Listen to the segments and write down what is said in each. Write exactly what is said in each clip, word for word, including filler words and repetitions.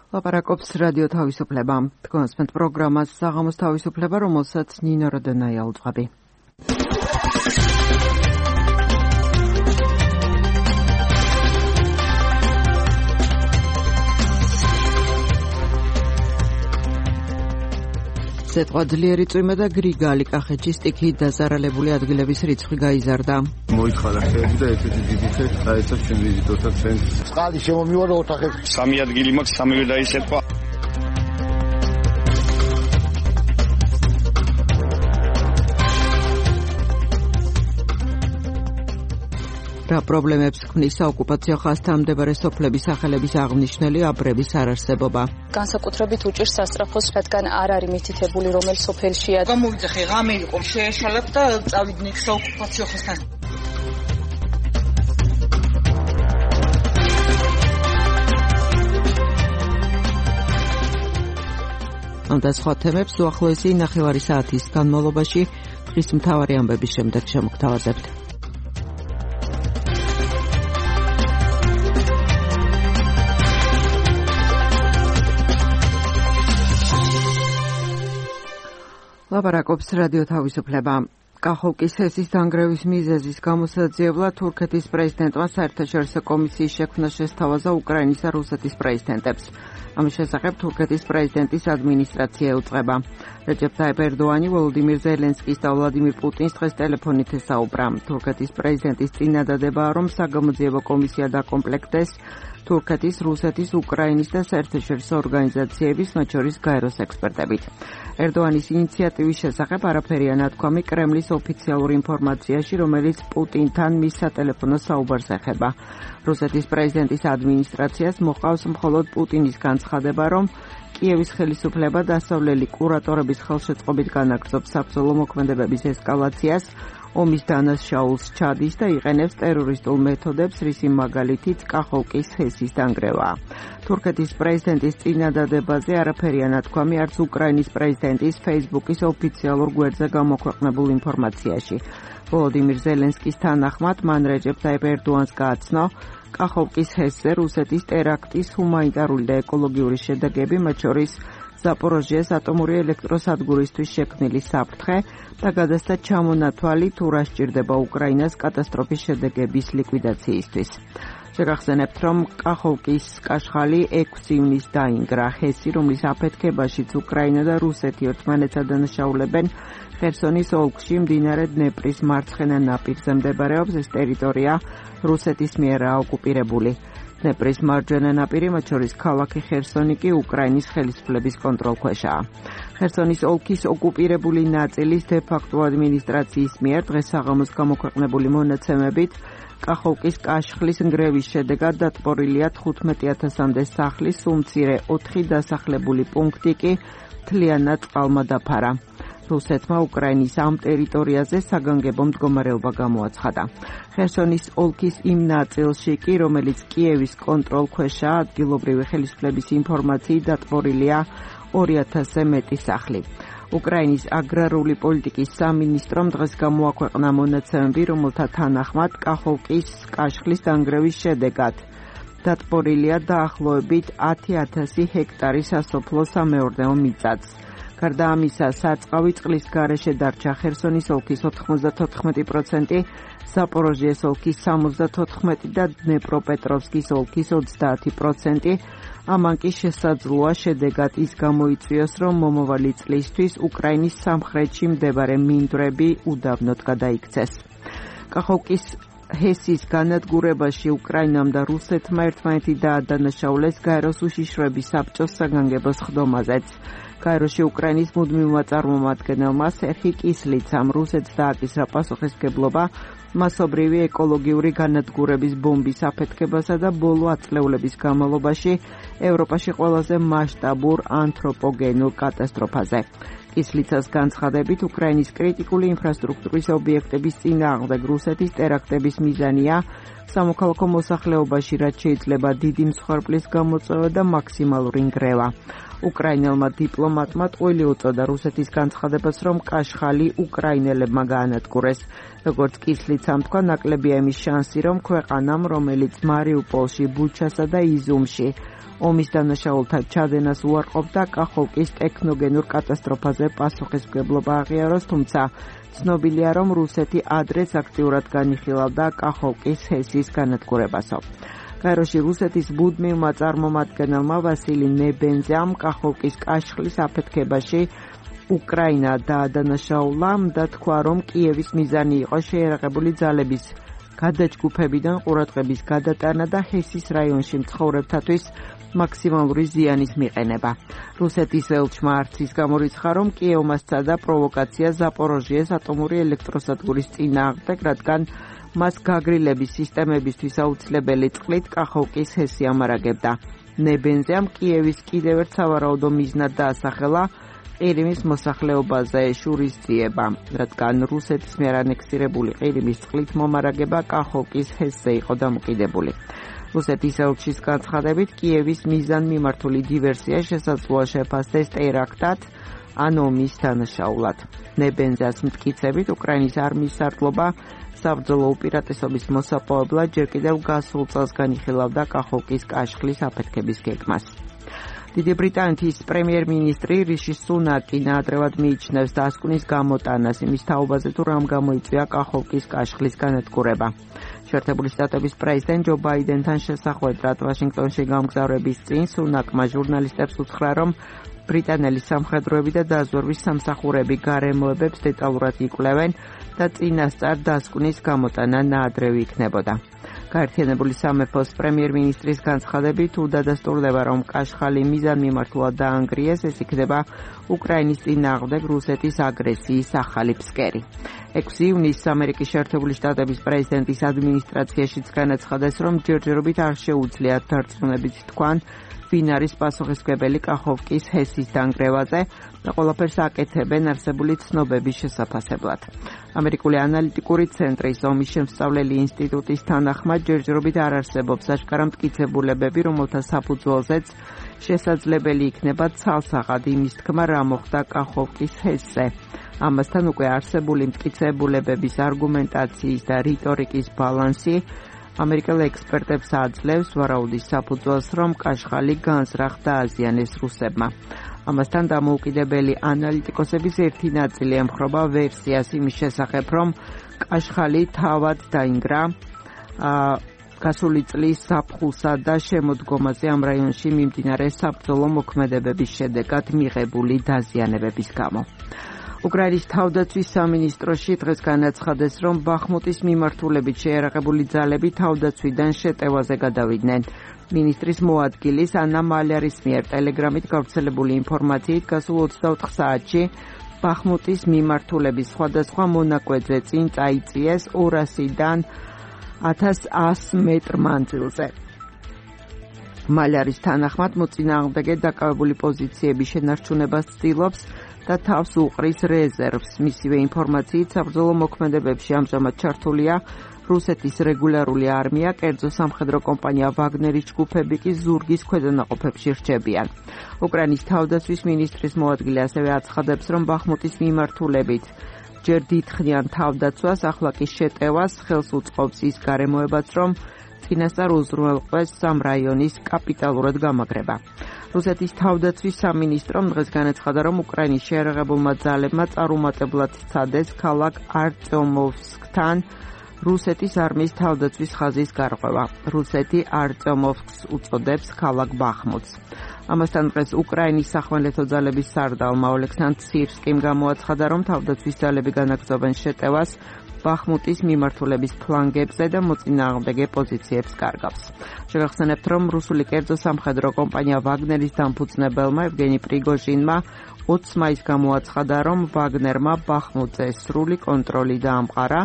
ლაპარაკობს რადიო თავისუფლება. თქვენს პროგრამას საღამოს თავისუფლება, რომელსაც ნინო როდონაია უძღვები. ზეთყვა ძლიერი წვიმა და გრიგალი კახეთში სტიქიით დაზარალებული ადგილების რიცხვი გაიზარდა. მოიხარა ხელი და ესეთი დიდი ხელი დაეცა ჩვენ ვიზიტორთა ცენტრს. წყალი შემომივარა ოთახებში. სამი ადგილი მაქვს, სამივე დაისერყვა. რა პრობლემებს ქმნის საოკუპაციო ხაზთან მდებარე სოფლების სახელების აღნიშნული აბრების არარსებობა. განსაკუთრებით უჭირს სასწრაფოს, რადგან არ არის მითითებული რომელ სოფელშია. გამოვიძახე, ღამე იყო, შეეშალებ და წავიდნენ საოკუპაციო ხაზთან. ამ და სხვა თემებს უახლოესი ნახევარი საათის განმავლობაში დღის მთავარი ამბების შემდეგ შემოგთავაზებთ. ლაპარაკობს რადიო თავისუფლება. კახოვკის ჰესის დანგრევის მიზეზის გამოსაძიებლად თურქეთის პრეზიდენტმა საერთაშორისო კომისიის შექმნა შესთავაზა უკრაინის და რუსეთის პრეზიდენტებს. ამის შესახებ თურქეთის პრეზიდენტის ადმინისტრაცია ეუწყება. რეჯეპ ტაიპ ერდოანი ვოლოდიმირ ზელენსკის და ვლადიმირ პუტინს დღეს ტელეფონით ესაუბრა. თურქეთის პრეზიდენტის წინადადებაა, რომ საგამოძიებო კომისია დაკომპლექტდეს თურქეთის, რუსეთის, უკრაინის და საერთაშორისო ორგანიზაციების, მათ შორის გაეროს ექსპერტებით. ერდოანის ინიციატივის შესახებ არაფერია ნათქვამი კრემლის ოფიციალურ ინფორმაციაში, რომელიც პუტინთან მის სატელეფონო საუბარს ეხება. რუსეთის პრეზიდენტის ადმინისტრაციას მოყავს მხოლოდ პუტინის განცხადება, რომ კიევის ხელისუფლება დასავლელი კურატორების ხელშეწყობით განაგრძობს საბრძოლო მოქმედებების ესკალაციას, ომის დანაშაულს ჩადის და იყენებს ტერორისტულ მეთოდებს, რისი მაგალითიც კახოვკის ჰესის დანგრევაა. თურქეთის პრეზიდენტის წინადადებაზე არაფერია ნათქვამი არც უკრაინის პრეზიდენტის Facebook-ის ოფიციალურ გვერდზე გამოქვეყნებულ ინფორმაციაში. ვოლოდიმირ ზელენსკის თანახმად, მან რეჯეპ ტაიპ ერდოანს გააცნო, კახოვკის ჰესზე რუსეთის ტერაქტის ჰუმანიტარული და ეკოლოგიური შედეგები, მათ შორის ზაპოროჟიეს ატომური ელექტროსადგურისთვის შექმნილი საფრთხე და გადასცა ჩამონათვალი, თუ რა სჭირდება უკრაინას კატასტროფის შედეგების ლიკვიდაციისთვის. შეგახსენებთ, რომ კახოვკის კაშხალი ექვსი ივნის დაინგრა. ჰესი, რომლის აფეთქებაშიც უკრაინა და რუსეთი ერთმანეთს ადანაშაულებენ, ხერსონის ოლქში მდინარე დნეპრის მარცხენა ნაპირზე მდებარეობს. ეს ტერიტორია რუსეთის მიერაა ოკუპირებული. დნეპრის მარჯვენა ნაპირი, მათ შორის ქალაქი ხერსონი კი უკრაინის ხელისუფლების კონტროლქვეშაა. ხერსონის ოლქის ოკუპირებული ნაწილის დე-ფაქტო ადმინისტრაციის მიერ დღეს საღამოს გამოქვეყნებული მონაცემებით კახოვკის კაშხლის ნგრევის შედეგად დატბორილია თხუთმეტი ათასამდე სახლის, სულ მცირე ოთხი დასახლებული პუნქტი კი მთლიანად წყალმა დაფარა. რუსეთმა უკრაინის ამ ტერიტორიაზე საგანგებო მდგომარეობა გამოაცხადა. ხერსონის ოლქის იმ ნაწილში კი, რომელიც კიევის კონტროლქვეშაა, ადგილობრივი ხელისუფლების ინფორმაციით დატბორილია ორი ათასზე მეტი სახლი. უკრაინის აგრარული პოლიტიკის სამინისტრომ დღეს გამოაქვეყნა მონაცემები, რომელთა თანახმად კახოვკის კაშხლის დანგრევის შედეგად დატბორილია დაახლოებით ათი ათასი ჰექტარი სასოფლო სამეურნეო მიწაც. გარდა ამისა, სარწყავი წყლის გარეშე დარჩა ხერსონის ოლქის ოთხმოცდათოთხმეტი პროცენტი, ზაპოროჟიეს ოლქის სამოცდათოთხმეტი და დნეპროპეტროვსკის ოლქის ოცდაათი პროცენტი. ამან კი შესაძლოა შედეგად ის გამოიწვიოს, რომ მომავალი წლისთვის უკრაინის სამხრეთში მდებარე მინდვრები უდაბნოდ გადაიქცეს. კახოვკის ჰესის განადგურებაში უკრაინამ და რუსეთმა ერთმანეთი დაადანაშაულეს გაეროს უშიშროების საბჭოს საგანგებო სხდომაზეც. გაეროში უკრაინის მუდმივმა წარმომადგენელმა სერხი კისლიცამ რუსეთს დააკისრა პასუხისმგებლობა მასობრივი ეკოლოგიური განადგურების ბომბის აფეთქებასა და ბოლო ათწლეულების განმავლობაში ევროპაში ყველაზე მასშტაბურ ანთროპოგენურ კატასტროფაზე. კისლიცას განცხადებით, უკრაინის კრიტიკული ინფრასტრუქტურის ობიექტების წინააღმდეგ რუსეთის ტერაქტების მიზანია სამოქალაქო მოსახლეობაში, რაც შეიძლება დიდი მსხვერპლის გამოწვევა და მაქსიმალური ნგრევა. უკრაინელმა დიპლომატმა ტყუილი უწოდა რუსეთის განცხადებას, რომ კაშხალი უკრაინელებმა გაანადგურეს. როგორც კისლიცამ თქვა, ნაკლებია იმის შანსი, რომ ქვეყანამ, რომელიც მარიუპოლში, ბუჩასა და იზუმში ომის დანაშაულთა ჩადენას უარყოფდა, კახოვკის ტექნოგენურ კატასტროფაზე პასუხისმგებლობა აღიაროს, თუმცა ცნობილია, რომ რუსეთი ადრეც აქტიურად განიხილავდა კახოვკის ჰესის განადგურებასო. გაეროში რუსეთის მუდმივმა წარმომადგენელმა ვასილი ნებენზიამ კახოვკის კაშხლის აფეთქებაში უკრაინა დაადანაშაულა და თქვა, რომ კიევის მიზანი იყო შეიარაღებული ძალების გადაჯგუფებიდან ყურადღების გადატანა და ჰესის რაიონში მცხოვრებთათვის მაქსიმალური ზიანის მიყენება. რუსეთის ელჩმა არც ის გამორიცხა, რომ კიევმა სცადა პროვოკაცია ზაპოროჟიეს ატომური ელექტროსადგურის წინააღმდეგ, რადგან მას გაგრილების სისტემებისთვის აუცილებელი წყლით კახოვკის ჰესი ამარაგებდა. ნებენზიამ კიევის კიდევ ერთ სავარაუდო მიზნად დაასახელა ყირიმის მოსახლეობაზე შურისძიება, რადგან რუსეთის მიერ ანექსირებული ყირიმის წყლით მომარაგება კახოვკის ჰესზე იყო დამოკიდებული. რუსეთის ელჩის განცხადებით, კიევის მიზანმიმართული დივერსია შესაძლოა შეფასდეს ტერაქტად ან ომის დანაშაულად. ნებენზიას მტკიცებით, უკრაინის არმიის სარდლობა საბრძოლო უპირატესობის მოსაპოვებლად ჯერ კიდევ გასულ წელს განიხილავდა კახოვკის კაშხლის აფეთქების გეგმას. დიდი ბრიტანეთის პრემიერ-მინისტრი რიში სუნაკი ნაადრევად მიიჩნევს დასკვნის გამოტანას იმის თაობაზე, თუ რამ გამოიწვია კახოვკის კაშხლის განადგურება. შეერთებული შტატების პრეზიდენტ ჯო ბაიდენთან შესახვედრად ვაშინგტონში გამგზავრების წინ სუნაკმა ჟურნალისტებს უთხრა, რომ ბრიტანელი სამხედროები და დაზვერვის სამსახურები გარემოებებს დეტალურად იკვლევენ და წინასწარ დასკვნის გამოტანა ნაადრევი იქნებოდა. გაერთიანებული სამეფოს პრემიერ-მინისტრის განცხადებით, თუ დადასტურდება, რომ კაშხალი მიზანმიმართულად დაანგრიეს, ეს იქნება უკრაინის წინააღმდეგ რუსეთის აგრესიის ახალი ფსკერი. ექვსი ივნისს ამერიკის შეერთებული შტატების პრეზიდენტის ადმინისტრაციაშიც განაცხადეს, რომ ჯერჯერობით არ შეუძლიათ დარწმუნებით თქვან, ვინ არის პასუხისმგებელი კახოვკის ჰესის დანგრევაზე და ყველაფერს აკეთებენ არსებული ცნობების შესაფასებლად. ამერიკული ანალიტიკური ცენტრის ომის შემსწავლელი ინსტიტუტის თანახმად ჯერჯერობით არ არსებობს აშკარა მტკიცებულებები, რომელთა საფუძველზეც შესაძლებელი იქნება ცალსაღად იმის თქმა, რა მოხდა კახოვკის ჰესზე. ამასთან უკვე არსებული მტკიცებულებების არგუმენტაციის და რიტორიკის ბალანსი ამერიკელ ექსპერტებს აძლევს ვარაუდის საფუძველს, რომ კაშხალი განზრახ დააზიანეს რუსებმა. ამასთან დამოუკიდებელი ანალიტიკოსების ერთი ნაწილი ემხრობა ვერსიას იმის შესახებ, რომ კაშხალი თავად დაინგრა გასული წლის ზაფხულსა და შემოდგომაზე ამ რაიონში მიმდინარე საბრძოლო მოქმედებების შედეგად მიღებული დაზიანებების გამო. უკრაინის თავდაცვის სამინისტროში დღეს განაცხადეს, რომ ბახმუტის მიმართულებით შეიარაღებული ძალები თავდაცვიდან შეტევაზე გადავიდნენ. მინისტრის მოადგილის ანა მალერის მიერ ტელეგრამით გავრცელებული ინფორმაციით გასულ ოცდაოთხ საათში ბახმუტის მიმართულების სხვადასხვა მონაკვეთზე წინ წაიწიეს ორასიდან ათას ასი მეტრ მანძილზე. მალერის თანახმად მოწინააღმდეგე დაკავებული პოზიციების შენარჩუნებას ცდილობს და თავს უყრის რეზერვს. მისივე ინფორმაციით საბრძოლო მოქმედებებში ამჟამად ჩართულია რუსეთის რეგულარული არმია, კერძო სამხედრო კომპანია ვაგნერის ჯგუფები კი ზურგის ქვედანაყოფებში რჩებიან. უკრაინის თავდაცვის მინისტრის მოადგილე ასევე აცხადებს, რომ ბახმუტის მიმართულებით ჯერ დიდხნიან თავდაცვას, ახლა კი შეტევას ხელს უწყობს ის გარემოებაც, რომ წინასწარ უზრუნველყვეს სამ რაიონის კაპიტალურად გამაგრება. რუსეთის თავდაცვის სამინისტრომ დღეს განაცხადა, რომ უკრაინის შეიარაღებულმა ძალებმა წარუმატებლად სცადეს ქალაქ არწიომოვსკთან რუსეთის არმიის თავდაცვის ხაზის გარღვევა. რუსეთი არწიომოვსკს უწოდებს ქალაქ ბახმუტს. ამასთან დღეს უკრაინის სახმელეთო ძალების სარდალმა ოლექსანდრ სირსკიმ გამოაცხადა, რომ თავდაცვის ძალები განაგრძობენ შეტევას ბახმუტის მიმართულების ფლანგებზე და მოწინააღმდეგე პოზიციებს კარგავს. შეგახსენებთ, რომ რუსული კერძო სამხედრო კომპანია ვაგნერის დამფუძნებელმა ევგენი პრიგოჟინმა ოცს მაისს გამოაცხადა, რომ ვაგნერმა ბახმუტზე სრული კონტროლი დაამყარა,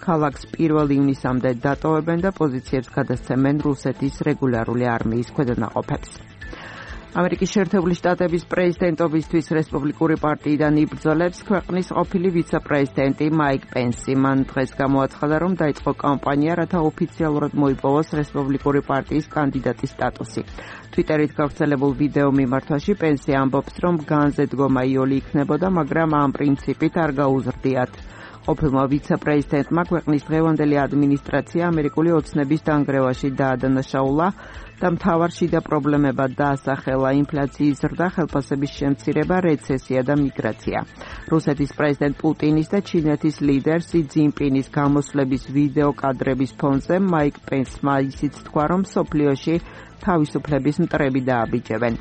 ქალაქს პირველ ივნისამდე დატოვებენ და პოზიციებს გადასცემენ რუსეთის რეგულარული არმიის ქვედანაყოფებს. ამერიკის შეერთებული შტატების პრეზიდენტობისთვის რესპუბლიკური პარტიიდან იბრძოლებს ქვეყნის ყოფილი ვიცე-პრეზიდენტი მაიკ პენსი. მან დღეს გამოაცხადა, რომ დაიწყო კამპანია, რათა ოფიციალურად მოიპოვოს რესპუბლიკური პარტიის კანდიდატის სტატუსი. ტვიტერით გავრცელებულ ვიდეო მიმართვაში პენსი ამბობს, რომ განზე დგომა იოლი იქნებოდა, მაგრამ ამ პრინციპით არ გაუზრდიათ ყოფილმა ვიცე-პრეზიდენტმა ქვეყნის დღევანდელი ადმინისტრაცია ამერიკული ოცნების დანგრევაში დაადანაშაულა და მთავარ შიდა პრობლემებად დაასახელა ინფლაციის ზრდა, ხელფასების შემცირება, რეცესია და მიგრაცია. რუსეთის პრეზიდენტ პუტინის და ჩინეთის ლიდერ სი ძინპინის გამოსვლების ვიდეო კადრების ფონზე მაიკ პენსმა ისიც თქვა, რომ მსოფლიოში თავისუფლების მტრები დააბიჯებენ.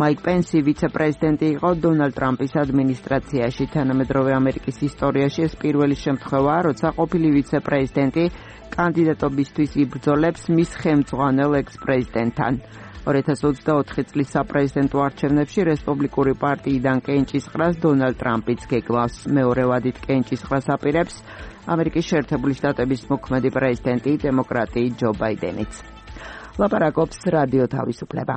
მაიკ პენსი ვიცე-პრეზიდენტი იყო დონალდ ტრამპის ადმინისტრაციაში. თანამედროვე ამერიკის ისტორიაში ეს პირველი შემთხვევაა, როცა ყოფილი ვიცე-პრეზიდენტი კანდიდატობისთვის იბრძოლებს მის ხელმძღვანელ ექს-პრეზიდენტთან. ორი ათას ოცდაოთხი წლის საპრეზიდენტო არჩევნებში რესპუბლიკური პარტიიდან კენჭისყრას დონალდ ტრამპიც გეგმავს. მეორე ვადით კენჭისყრას აპირებს ამერიკის შეერთებული შტატების მოქმედი პრეზიდენტი დემოკრატი ჯო ბაიდენიც. ლაპარაკობს რადიო თავისუფლება.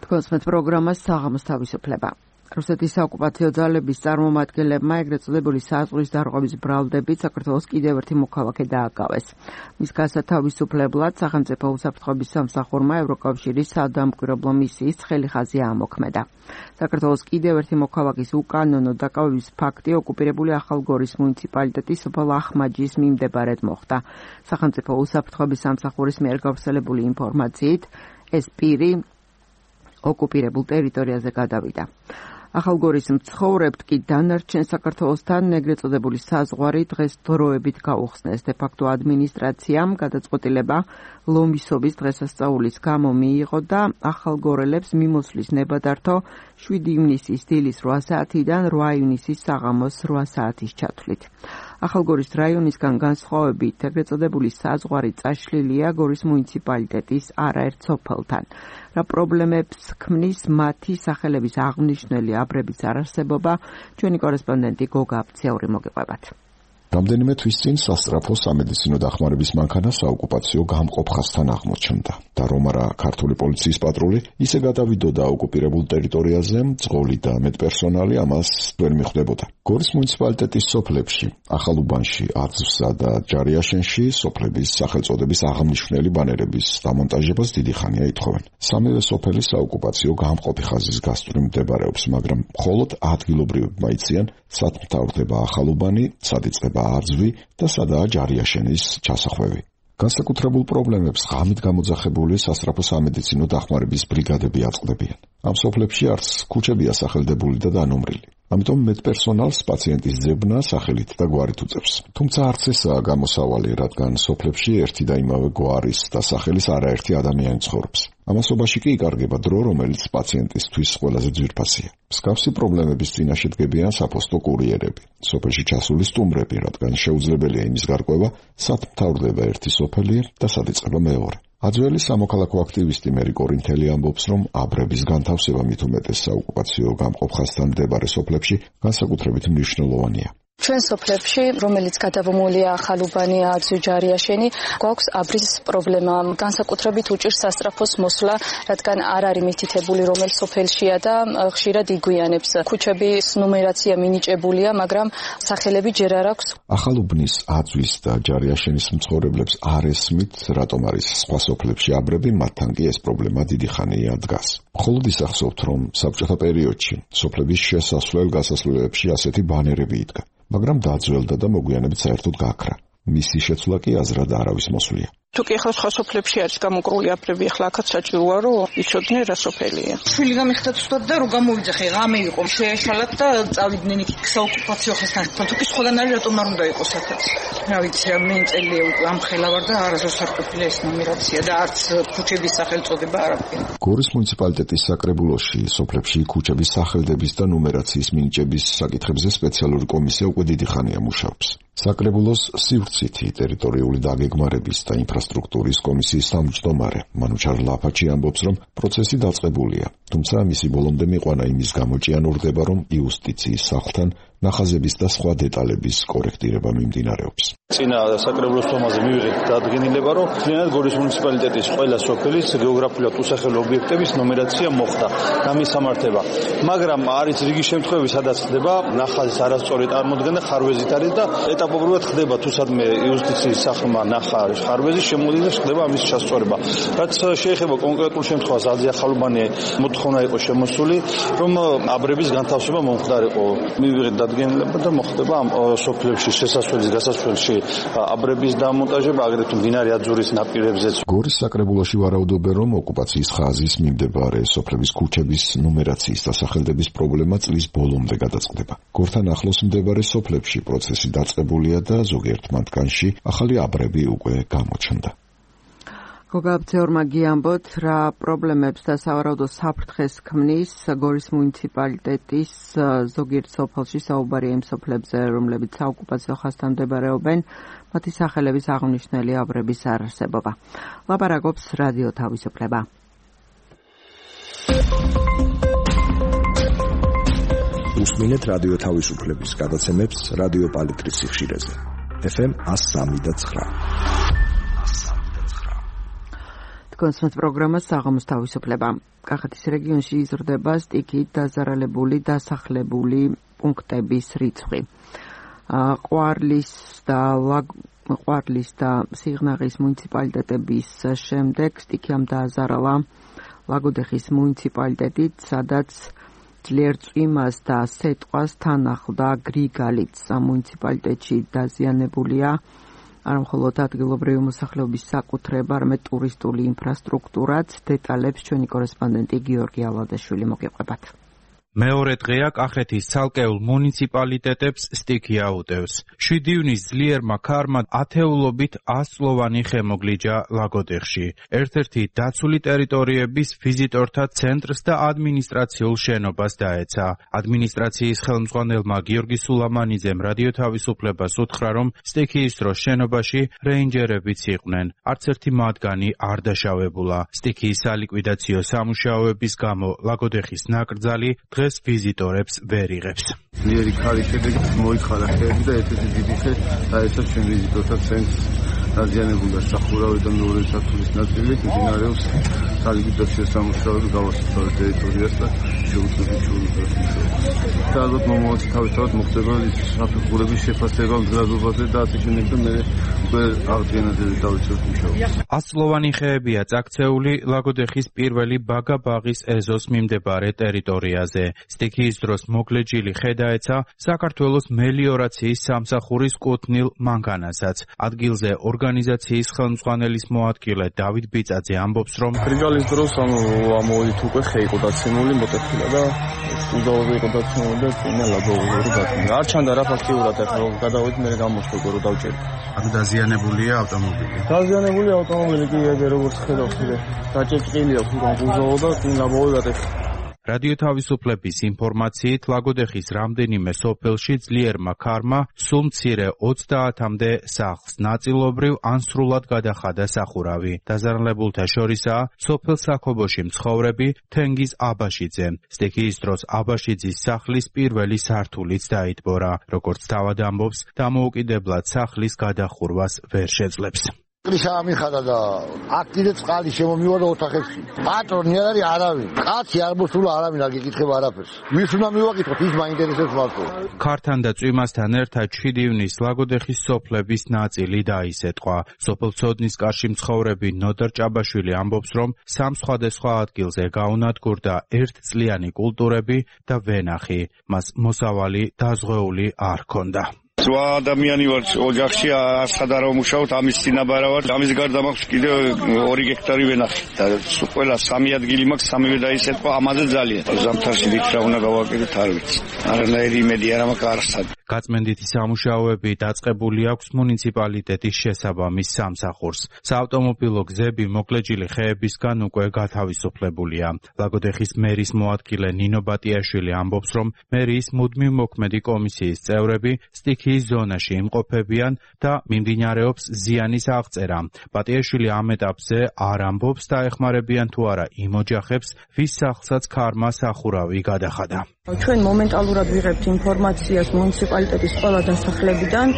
თქვენს პროგრამას საღამოს თავისუფლება. რუსეთის საოკუპაციო ძალების წარმომადგენლებმა ეგრეთ წოდებული საზღვრის დარღვევის ბრალდებით საქართველოს კიდევ ერთი მოქალაქე დააკავეს. მის გასათავისუფლებლად სახელმწიფო უსაფრთხოების სამსახურმა ევროკავშირის სადამკვირვებლო მისიის ცხელი ხაზი ამოქმედა. საქართველოს კიდევ ერთი მოქალაქის უკანონო დაკავების ფაქტი ოკუპირებული ახალგორის მუნიციპალიტეტის სოფელ ახმაჯის მიმდებარედ მოხდა. სახელმწიფო უსაფრთხოების სამსახურის მიერ გავრცელებული ინფორმაციით ეს პირი ოკუპირებულ ტერიტორიაზე გადავიდა. ახალგორის მცხოვრებთ კი დანარჩენ საქართველოსთან ეგრეთ წოდებული საზღვარი დღეს დროებით გაუხსნეს. დე ფაქტო ადმინისტრაციამ გადაწყვეტილება ლომისობის დღესასწაულის გამო მიიღო და ახალგორელებს მიმოსვლის ნებადართო შვიდი ივნისის დილის რვა საათიდან რვა ივნისის საღამოს რვა საათის ჩათვლით. ახალგორის რაიონისგან განსხვავებით ეგრეთ წოდებული საზღვარი წაშლილია გორის მუნიციპალიტეტის არაერთ სოფელთან. რა პრობლემებს ქმნის მათი სახელების აღნიშნული აბრების არარსებობა, ჩვენი კორესპონდენტი გოგა აფციური მოგიყვებათ. რამდენიმე თვის წინ სასწრაფო სამედიცინო დახმარების მანქანა საოკუპაციო გამყოფ ხაზთან აღმოჩნდა და რომ არა ქართული პოლიციის პატრული ისე გადავიდოდა ოკუპირებულ ტერიტორიაზე, მძღოლი და მეტპერსონალი ამას ვერ მიხვდებოდა. გორის მუნიციპალიტეტის სოფლებში, ახალუბანში, აცვსა და ჯარიაშენში სოფლების სახელწოდების აღმნიშვნელი ბანერების დამონტაჟებას დიდი ხანია ითხოვენ. სამივე სოფელი საოკუპაციო გამყოფი ხაზის გასწვრივ მდებარეობს, მაგრამ მხოლოდ ადგილობრივებმა იციან, სად მთავრდება ახალუბანი, სად იწყება არძვი და სადაა ჯარიაშენის ჩასახვევი. განსაკუთრებულ პრობლემებს ღამით გამოძახებული სასწრაფო სამედიცინო დახმარების ბრიგადები აწყდებიან. ამ სოფლებში არც ქუჩებია სახელდებული და დანომრილი. ამიტომ მეტპერსონალს პაციენტის ძებნა სახელით და გვარით უწევს. თუმცა არც ესაა გამოსავალი, რადგან სოფლებში ერთი და იმავე გვარის და სახელის არაერთი ადამიანი ცხოვრობს. ამასობაში კი იკარგება დრო, რომელიც პაციენტისთვის ყველაზე ძვირფასია. მსგავსი პრობლემების წინაშე დგებიან საფოსტო კურიერები, სოფელში ჩასული სტუმრები, რადგან შეუძლებელია იმის გარკვევა, სად მთავრდება ერთი სოფელი და სად იწყება მეორე. აძველი სამოქალაქო აქტივისტი მერი კორინთელი ამბობს, რომ აბრების განთავსება მით უმეტეს საოკუპაციო გამყოფ ხაზთან მდებარე სოფლებში განსაკუთრებით მნიშვნელოვანია. ჩვენ სოფლებში, რომელიც გადავმულია ახალუბანი, აძვი, ჯარიაშენი, გვაქვს აბრის პრობლემა. განსაკუთრებით უჭირს სასწრაფოს მოსვლა, რადგან არ არის მითითებული რომელ სოფელშია და ხშირად იგვიანებს. ქუჩების ნუმერაცია მინიჭებულია, მაგრამ სახელები ჯერ არ აქვს. ახალუბნის, აძვის და ჯარიაშენის მცხოვრებლებს არ ესმით, რატომ არის სხვა სოფლებში აბრები, მათთან კი ეს პრობლემა დიდი ხანია დგას. მხოლოდ ისახსოვთ, რომ საბჭოთა პერიოდში სოფლების შესასვლელ-გასასვლელებში ასეთი ბანერები იდგა. მაგრამ დაძველდა და მოგვიანებით საერთოდ გაქრა. მისი შეცვლა კი აზრად არავის მოსვლია. თუ კი ახლა სხვა სოფლებში არის გამოკრული აბრები, ახლა აქაც საჭიროა რომ იცოდნენ რა სოფელია. შვილი გამიხდათ უბრალოდ და რომ გამოვიძახე, ღამე იყო, შეეშალათ და წავიდნენ იქ საოკუპაციო ხაზთან. თუ კი სხვაგან არის რატომ არ უნდა იყოს აქაც. რა ვიცი, მე წელია უკვე ამ ხელა ვარ და არასდროს არ ყოფილა ეს ნუმერაცია და არც ქუჩების სახელწოდება არ აქვს. გორის მუნიციპალიტეტის საკრებულოში სოფლებში ქუჩების სახელდების და ნუმერაციის მინიჭების საკითხებზე სპეციალური კომისია უკვე დიდი ხანია მუშაობს. საკრებულოს სივრცითი ტერიტორიული დაგეგმარების და ინფრასტრუქტურის კომისიის თავმჯდომარე მანუჩარ ლაფაჩი ამბობს, რომ პროცესი დაწყებულია, თუმცა მისი ბოლომდე მიყვანა იმის გამო ჭიანურდება, რომ იუსტიციის სახლთან ნახაზების და სხვა დეტალების კორექტირება მიმდინარეობს. წინა საკრებულოს თომაზე მივიღეთ დადგენილება, რომ ძლიერ გორის მუნიციპალიტეტის ყველა სოფლის გეოგრაფიულად უსახელო ობიექტების ნუმერაცია მოხდა და მისამართება. მაგრამ არის რიგი შემთხვევები, სადაც ხდება ნახაზის არასწორი წარმოდგენა ხარვეზით არის და ეტაპობრივად ხდება თუ სადმე იუსტიციის სახლმა ნახა ხარვეზი შემოდის და ხდება ამის ჩასწორება. რაც შეეხება კონკრეტულ შემთხვევას, აზია ხალუბანი მოთხოვნა იყო შემოსული, რომ აბრების განთავსება მომხდარიყო. მივიღეთ დადგენილება და მოხდება ამ სოფლებში შესასვლელის გასასვლელში აბრების დამონტაჟება, აგრეთვე მდინარე აძურის ნაპირებზეც. გორის საკრებულოში ვარაუდობენ, რომ ოკუპაციის ხაზის მიმდებარე სოფლების ქუჩების ნუმერაციის და სახელდების პრობლემა წლის ბოლომდე გადაწყდება. გორთან ახლოს მდებარე სოფლებში პროცესი დაწყებულია და ზოგიერთ მათგანში ახალი აბრები უკვე გამოჩნდა. გოგაბძეორმა გიამბოთ, რა პრობლემებს და სავარაუდო საფრთხეს ქმნის გორის მუნიციპალიტეტის ზოგიერთ სოფელში საუბარია იმ სოფლებზე, რომლებიც საოკუპაციო ხაზთან მდებარეობენ, მათი სახელების აღნიშნული აბრების არარსებობა. ლაპარაკობს რადიო თავისუფლება. უსმინეთ რადიო თავისუფლების გადაცემებს რადიო პალიტრის სიხშირეზე. ეფ ემ one oh three point nine. კონსმეთ პროგრამა საღამოს თავისუფლება. კახეთის რეგიონში იზრდება სტიქით დაზარალებული დასახლებული პუნქტების რიცხვი. ყვარლის და ყვარლის და სიღნაღის მუნიციპალიტეტების შემდეგ სტიქიამ დააზარალა ლაგოდეხის მუნიციპალიტეტით, სადაც ძლიერ წვიმას და სეტყვას თან ახლდა გრიგალიც. ამ მუნიციპალიტეტში დაზიანებულია არა მხოლოდ ადგილობრივი მოსახლეობის საკუთრება, არამედ ტურისტული ინფრასტრუქტურაც. დეტალებს ჩვენი კორესპონდენტი გიორგი ალადაშვილი მოგიყვებათ. მეორე დღეა კახეთის ცალკეულ მუნიციპალიტეტებს სტიქი აუტევს. შვიდი ივნის ძლიერმა ქარმა ათეულობით ასწლოვანი ხემოგლიჯა ლაგოდეხში. ერთ-ერთი დაცული ტერიტორიების ვიზიტორთა ცენტრს და ადმინისტრაციულ შენობას დაეცა. ადმინისტრაციის ხელმძღვანელმა გიორგი სულამანიძემ რადიო თავისუფლებას უთხრა, რომ სტიქიის დროს შენობაში რეინჯერებიც იყვნენ. არც ერთი მათგანი არ დაშავებულა. სტიქიის სალიკვიდაციო სამუშაოების გამო ლაგოდეხის ნაკრძალი დღეს ვიზიტორებს ვერ იღებს. ძლიერი ქარის შედეგად მოიხარა ხეები და ერთ-ერთი დიდი ხე დაეცა ჩვენ ვიზიტორთა ცენტრს. დაზიანებულია სახურავი და მეორე სართულის ნაწილი, მიმდინარეობს სალიკვიდაციო სამუშაოები გავასწორებთ ტერიტორიას და შეუძლებელი შეუძლებელი. და ალბათ მომავალში თავისთავად მოხდება საფეხურების შეფასება მზადობაზე და ასე შემდეგ და მე უკვე აღდგენაზე დავიწყებ მუშაობას. ასწლოვანი ხეებია წაქცეული ლაგოდეხის პირველი ბაგა-ბაღის ეზოს მიმდებარე ტერიტორიაზე. სტიქიის დროს მოგლეჯილი ხე დაეცა საქართველოს მელიორაციის სამსახურის კუთვნილ მანქანასაც. ადგილზე ორგანიზაციის ხელმძღვანელის მოადგილე დავით ბიწაძე ამბობს, რომ გრიგალის დროს ამოვიდით უკვე ხე იყო დაცემული, მოტეხილა და უზაური იყო დაცემული და წინა ლაბორატორი დაცემული. არ ჩანდა რა ფაქტიურად ახლა გადავიდით მე გამოცხადო რომ დავჭერდი. ანუ დაზიანებულია ავტომობილი. დაზიანებული ავტომობილი კი ეგ როგორც ხედავთ, დაჭეჭყილია ხურან უზაო და წინა ლაბორატორი გადაიხდა. რადიო თავისუფლების ინფორმაციით ლაგოდეხის რამდენიმე სოფელში ძლიერმა ქარმა სულ მცირე ოცდაათამდე სახლს ნაწილობრივ ან სრულად გადახადა სახურავი. დაზარალებულთა შორისაა სოფელ საქობოში მცხოვრები თენგიზ აბაშიძე. სტიქიის დროს აბაშიძის სახლის პირველი სართულიც დაიტბორა. როგორც თავად ამბობს, დამოუკიდებლად სახლის გადახურვას ვერ შეძლებს. კრიშა მიხადა და აქ კიდე წყალი შემომივარდა ოთახებში. პატრონი არ არის არავინ. კაცი არ მოსულა არავინ არ გიკითხება არაფერს. ვის უნდა მივაკითხოთ, ის მაინტერესებს მარტო. ქართან და წვიმასთან ერთად შვიდი ივნის ლაგოდეხის სოფლების ნაწილი დაისეტყვა. სოფელ ცოდნის კარში მცხოვრები ნოდარ ჭაბაშვილი ამბობს, რომ სამ სხვადასხვა ადგილზე გაუნადგურდა ერთწლიანი კულტურები და ვენახი. მას მოსავალი დაზღვეული არ ჰქონდა. ზღვა ადამიანი ვარ ოჯახში არცად არ ვმუშაობ, ამის წინაბარა ვარ. ამის გარდა მაქვს კიდევ ორი გექტარი ვენახი და ყველა სამი ადგილი მაქვს, სამივე დაისეტყვა, ამაზე ძალიან. ზამთარში ვით რა უნდა გავაკეთოთ არ ვიცი. არანაირი იმედი არ მაქვს არცად. გაწმენდითი სამუშაოები დაწყებული აქვს მუნიციპალიტეტის შესაბამის სამსახურს. საავტომობილო გზები მოგლეჯილი ხეებისგან უკვე გათავისუფლებულია. ლაგოდეხის მერის მოადგილე ნინო ბატიაშვილი ამბობს, რომ მერიის მუდმივ მოქმედი კომისიის წევრები სტიქიის ზონაში იმყოფებიან და მიმდინარეობს ზიანის აღწერა. ბატიაშვილი ამ ეტაპზე არ ამბობს და ეხმარებიან თუ არა იმ ოჯახებს, ვის სახლსაც ქარმა სახურავი გადახადა. ჩვენ მომენტალურად ვიღებთ ინფორმაციას მუნიციპალიტეტის ყველა დასახლებიდან,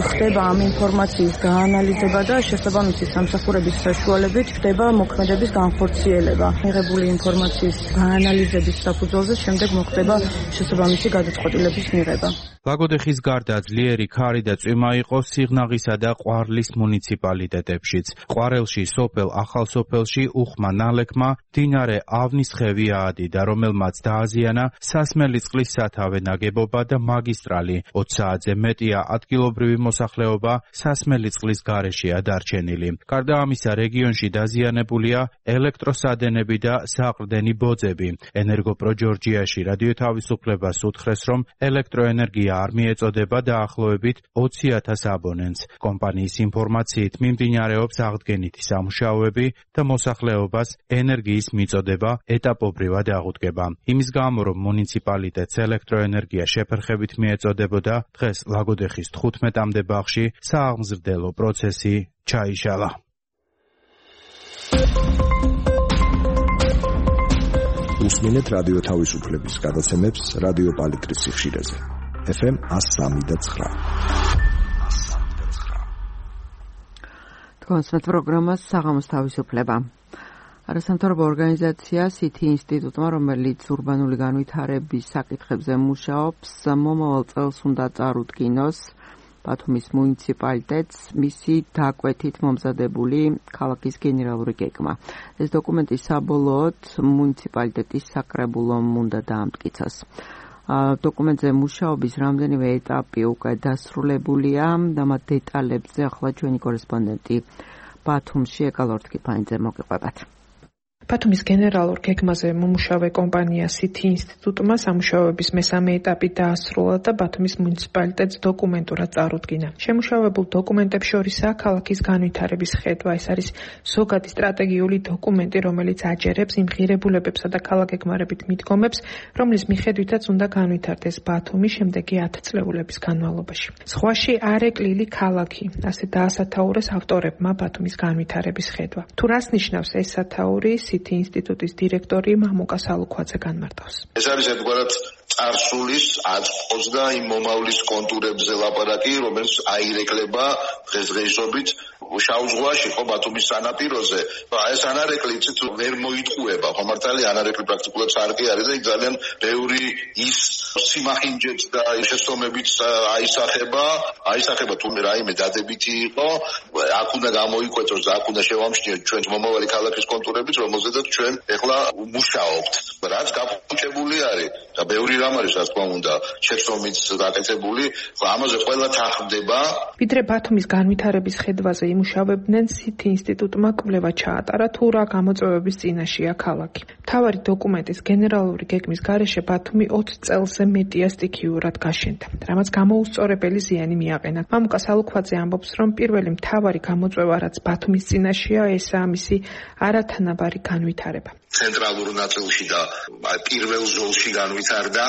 ხდება ამ ინფორმაციის გაანალიზება და შესაბამისი სამსახურების საშუალებით ხდება მოქმედების განხორციელება. მიღებული ინფორმაციის გაანალიზების საფუძველზე შემდეგ მოხდება შესაბამისი გადაწყვეტილების მიღება. ლაგოდეხის გარდა ძლიერი ქარი და წვიმა იყო სიღნაღისა და ყვარლის მუნიციპალიტეტებშიც. ყვარელში, სოფელ ახალსოფელში უხმა ნალექმა მდინარე ავნისხევი აადიდა, რომელმაც დააზიანა სასმელი წყლის სათავე ნაგებობა და მაგისტრალი. ოც საათზე მეტია ადგილობრივი მოსახლეობა სასმელი წყლის გარეშეა დარჩენილი. გარდა ამისა, რეგიონში დაზიანებულია ელექტროსადენები და საყრდენი ბოძები. ენერგოპრო ჯორჯიაში რადიო თავისუფლებას უთხრეს, რომ ელექტროენერგია არ მიეწოდება დაახლოებით ოცი ათას აბონენტს. კომპანიის ინფორმაციით მიმდინარეობს აღდგენითი სამუშაოები და მოსახლეობას ენერგიის მიწოდება ეტაპობრივად აღუდგება. იმის გამო, რომ მუნიციპალიტეტს ელექტროენერგია შეფერხებით მიეწოდებოდა, დღეს ლაგოდეხის თხუთმეტამდე ბაღში სააღმზრდელო პროცესი ჩაიშალა. უსმინეთ რადიო თავისუფლების გადაცემებს რადიო პალიტრის სიხშირეზე. ეფ ემ ას სამი და ცხრა. თქვენს პროგრამას საღამოს თავისუფლება. არასამთავრობო ორგანიზაცია სითი ინსტიტუტმა, რომელიც ურბანული განვითარების საკითხებზე მუშაობს, მომავალ წელს უნდა წარუდგინოს ბათუმის მუნიციპალიტეტს მისი დაკვეთით მომზადებული ქალაქის გენერალური გეგმა. ეს დოკუმენტი საბოლოოდ მუნიციპალიტეტის საკრებულომ უნდა დაამტკიცოს. დოკუმენტზე მუშაობის რამდენიმე ეტაპი უკვე დასრულებულია და მათ დეტალებზე ახლა ჩვენი კორესპონდენტი ბათუმში ეკალორ თქიფანიძე მოგიყვებათ. ბათუმის გენერალურ გეგმაზე მომუშავე კომპანია სითი ინსტიტუტმა სამუშაოების მესამე ეტაპი დაასრულა და ბათუმის მუნიციპალიტეტს დოკუმენტურად წარუდგინა. შემუშავებულ დოკუმენტებს შორისაა ქალაქის განვითარების ხედვა. ეს არის ზოგადი სტრატეგიული დოკუმენტი, რომელიც აჯერებს იმ ღირებულებებსა და ქალაქგეგმარებით მიდგომებს, რომლის მიხედვითაც უნდა განვითარდეს ბათუმი შემდეგი ათწლეულების განმავლობაში. ზღვაში არეკლილი ქალაქი, ასე დაასათაურეს ავტორებმა ბათუმის განვითარების ხედვა. თუ რას ნიშნავს ეს სათაური, სითი ინსტიტუტის დირექტორი მამუკა სალუქვაძე განმარტავს. ეს არის ერთგვარად წარსულის აწყოს და იმ მომავლის კონტურებზე ლაპარაკი, რომელიც აირეკლება დღესდღეობით შავ ზღვაში, ხო, ბათუმის სანაპიროზე. ეს ანარეკლი იცით ვერ მოიტყუება, ხო მართალი ანარეკლი პრაქტიკულად სარკე არის და იქ ძალიან ბევრი ის სიმახინჯეც და შესწომებით აისახება, აისახება თუ რაიმე დადებითი იყო, აქ უნდა გამოიკვეთოს და აქ უნდა შევამჩნიოთ ჩვენ მომავალი ქალაქის კონტურებით, რომელზედაც ჩვენ ეხლა მუშაობთ. რაც გაფუჭებული არის და ბევრი რამ არის, რა თქმა უნდა, შეცდომით გაკეთებული, ამაზე ყველა თანხმდება. ვიდრე ბათუმის განვითარების ხედვაზე იმუშავებდნენ, სითი ინსტიტუტმა კვლევა ჩაატარა თუ რა გამოწვევების წინაშეა ქალაქი. მთავარი დოკუმენტის გენერალური გეგმის გარეშე ბათუმი ოც წელზე მეტია სტიქიურად გაშენდა, რამაც გამოუსწორებელი ზიანი მიაყენა. მამუკა სალუქვაძე ამბობს, რომ პირველი მთავარი გამოწვევა, რაც ბათუმის წინაშეა, ესაა მისი არათანაბარი განვითარება. ცენტრალურ ნაწილში და პირველ ზოლში განვითარდა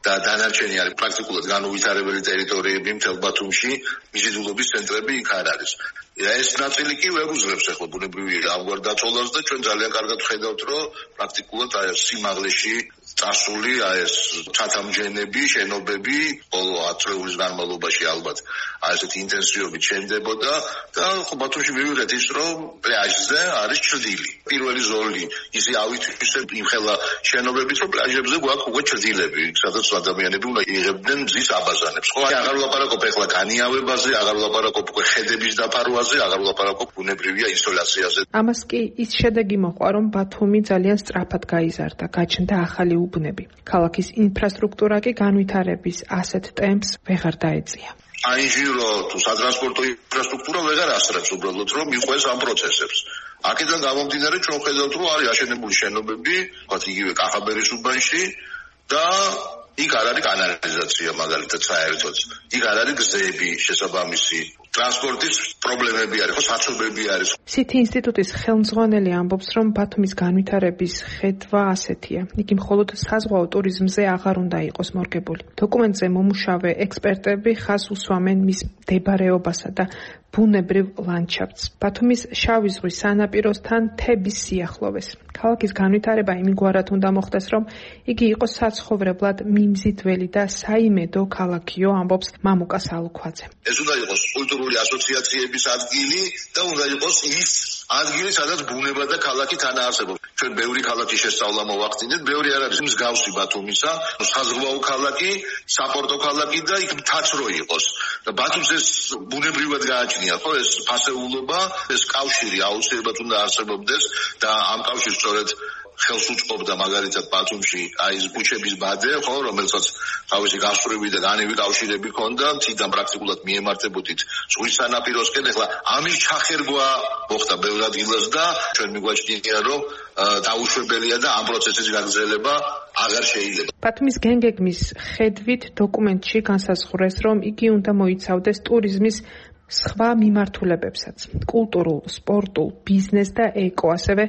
და დანარჩენი არის პრაქტიკულად განუვითარებელი ტერიტორიები მთელ ბათუმში, მიზიდულობის ცენტრები იქ არ არის. ეს ნაწილი კი ვეგუძრებს ახლა ბუნებრივი ამგვარ დაწოლას და ჩვენ ძალიან კარგად ვხედავთ, რომ პრაქტიკულად აი სიმაღლეში წასული აი ეს ცათამჯენები, შენობები ბოლო ათწლეულის განმავლობაში ალბათ აი ესეთი ინტენსივობით შენდებოდა და ხო ბათუმში მივიღეთ ის, რომ პლაჟზე არის ჭრდილი. პირველი ზოლი ისე ავითვისებ იმ ხელა შენობებით, რომ პლაჟებზე გვაქვს უკვე ჭრდილები, სადაც ადამიანები უნდა იღებდნენ მზის აბაზანებს. ხო, აღარ ვლაპარაკობ ახლა განიავებაზე, აღარ ვლაპარაკობ უკვე ხედების დაფარვაზე, აღარ ვლაპარაკობ ბუნებრივია ისოლაციაზე. ამას კი ის შედეგი მოყვა, რომ ბათუმი ძალიან სწრაფად გაიზარდა, გაჩნდა ახალი უბნები. ქალაქის ინფრასტრუქტურა კი განვითარების ასეთ ტემპს ვეღარ დაეწია. აინჟირო თუ სატრანსპორტო ინფრასტრუქტურა ვეღარ ასრებს უბრალოდ, რომ მიყვეს ამ პროცესებს. აქედან გამომდინარე ჩვენ ხედავთ, რომ არის აშენებული შენობები, ვთქვათ იგივე კახაბერის უბანში და იქ არ არის კანალიზაცია მაგალითად საერთოდ. იქ არ არის გზები შესაბამისი. ტრანსპორტის პრობლემები არის, ხო, საცობები არის. სითი ინსტიტუტის ხელმძღვანელი ამბობს, რომ ბათუმის განვითარების ხედვა ასეთია. იგი მხოლოდ საზღვაო ტურიზმზე აღარ უნდა იყოს მორგებული. დოკუმენტზე მომუშავე ექსპერტები ხაზს უსვამენ მის მდებარეობასა და ბუნებრივ ლანდშაფტს, ბათუმის შავი ზღვის სანაპიროსთან მთების სიახლოვეს. ქალაქის განვითარება იმგვარად უნდა მოხდეს, რომ იგი იყოს საცხოვრებლად მიმზიდველი და საიმედო ქალაქიო, ამბობს მამუკა სალუქვაძე. ეს უნდა იყოს კულტურული ასოციაციების ადგილი და უნდა იყოს ის ადგილი, სადაც ბუნება და ქალაქი თანაარსებობს. ჩვენ ბევრი ქალაქის შესწავლა მოვახდინეთ, ბევრი არ არის მსგავსი ბათუმისა, საზღვაო ქალაქი, საპორტო ქალაქი და იქ მთაც რო იყოს. და ბათუმს ეს ბუნებრივად გააჩნია, ხო, ეს ფასეულობა, ეს კავშირი აუცილებლად უნდა არსებობდეს და ამ კავშირს სწორედ ხელს უწყობდა მაგალითად ბათუმში აი ეს ბუჩების ბადე, ხო, რომელსაც თავისი გასწვრივი და განივი კავშირები ჰქონდა, თიდან პრაქტიკულად მიემართებოდით ზღვის სანაპიროსკენ. ეხლა ამის ჩახერგვა მოხდა ბევრ ადგილას და ჩვენ მიგვაჩნია, რომ დაუშვებელია და ამ პროცესის გაგრძელება აღარ შეიძლება. ბათუმის გენგეგმის ხედვით დოკუმენტში განსაზღვრეს, რომ იგი უნდა მოიცავდეს ტურიზმის სხვა მიმართულებებსაც, კულტურულ, სპორტულ, ბიზნეს და ეკო, ასევე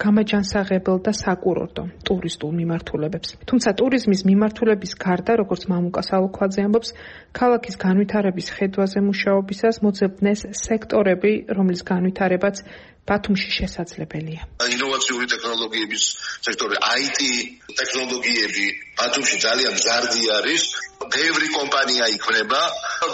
გამაჯანსაღებელ და საკურორტო ტურისტულ მიმართულებებს. თუმცა ტურიზმის მიმართულების გარდა, როგორც მამუკა სალუქვაძე ამბობს, ქალაქის განვითარების ხედვაზე მუშაობისას მოძებნეს სექტორები, რომლის განვითარებაც ბათუმში შესაძლებელია. ინოვაციური ტექნოლოგიების სექტორი, აი ტი ტექნოლოგიები ბათუმში ძალიან მზარდი არის. ბევრი კომპანია იქმნება,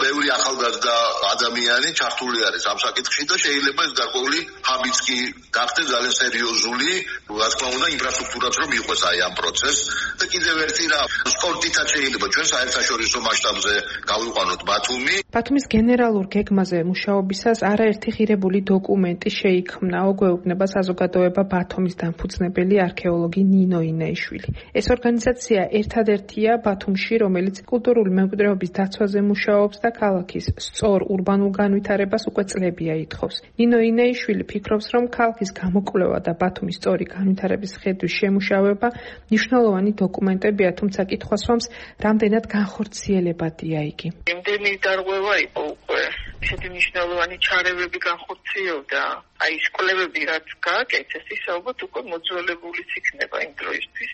ბევრი ახალგაზრდა ადამიანი ჩართული არის ამ საკითხში და შეიძლება ეს გარკვეული ჰაბიც კი გახდეს ძალიან სერიოზული, რა თქმა უნდა, ინფრასტრუქტურაც რომ იყოს აი ამ პროცესს. და კიდევ ერთი რა, სპორტითაც შეიძლება ჩვენ საერთაშორისო მასშტაბზე გავიყვანოთ ბათუმი. ბათუმის გენერალურ გეგმაზე მუშაობისას არაერთი ღირებული დოკუმენტი შეიქმნა, ოგვეუბნება საზოგადოება ბათუმის დამფუძნებელი არქეოლოგი ნინო ინეიშვილი. ეს ორგანიზაცია ერთადერთია ბათუმში, რომელიც კულტურული მემკვიდრეობის დაცვაზე მუშაობს და ქალაქის სწორ ურბანულ განვითარებას უკვე წლებია ითხოვს. ნინო ინეიშვილი ფიქრობს, რომ ქალაქის გამოკვლევა და ბათუმის სწორი განვითარების ხედვის შემუშავება მნიშვნელოვანი დოკუმენტებია, თუმცა კითხვას სვამს, რამდენად განხორციელებადია იგი. იმდენი დარღვევა იყო უკვე, ისეთი მნიშვნელოვანი ჩარევები განხორციელდა. აი ეს კვლევები რაც გააკეთეს, ის ალბათ უკვე მოძველებულიც იქნება იმ დროისთვის,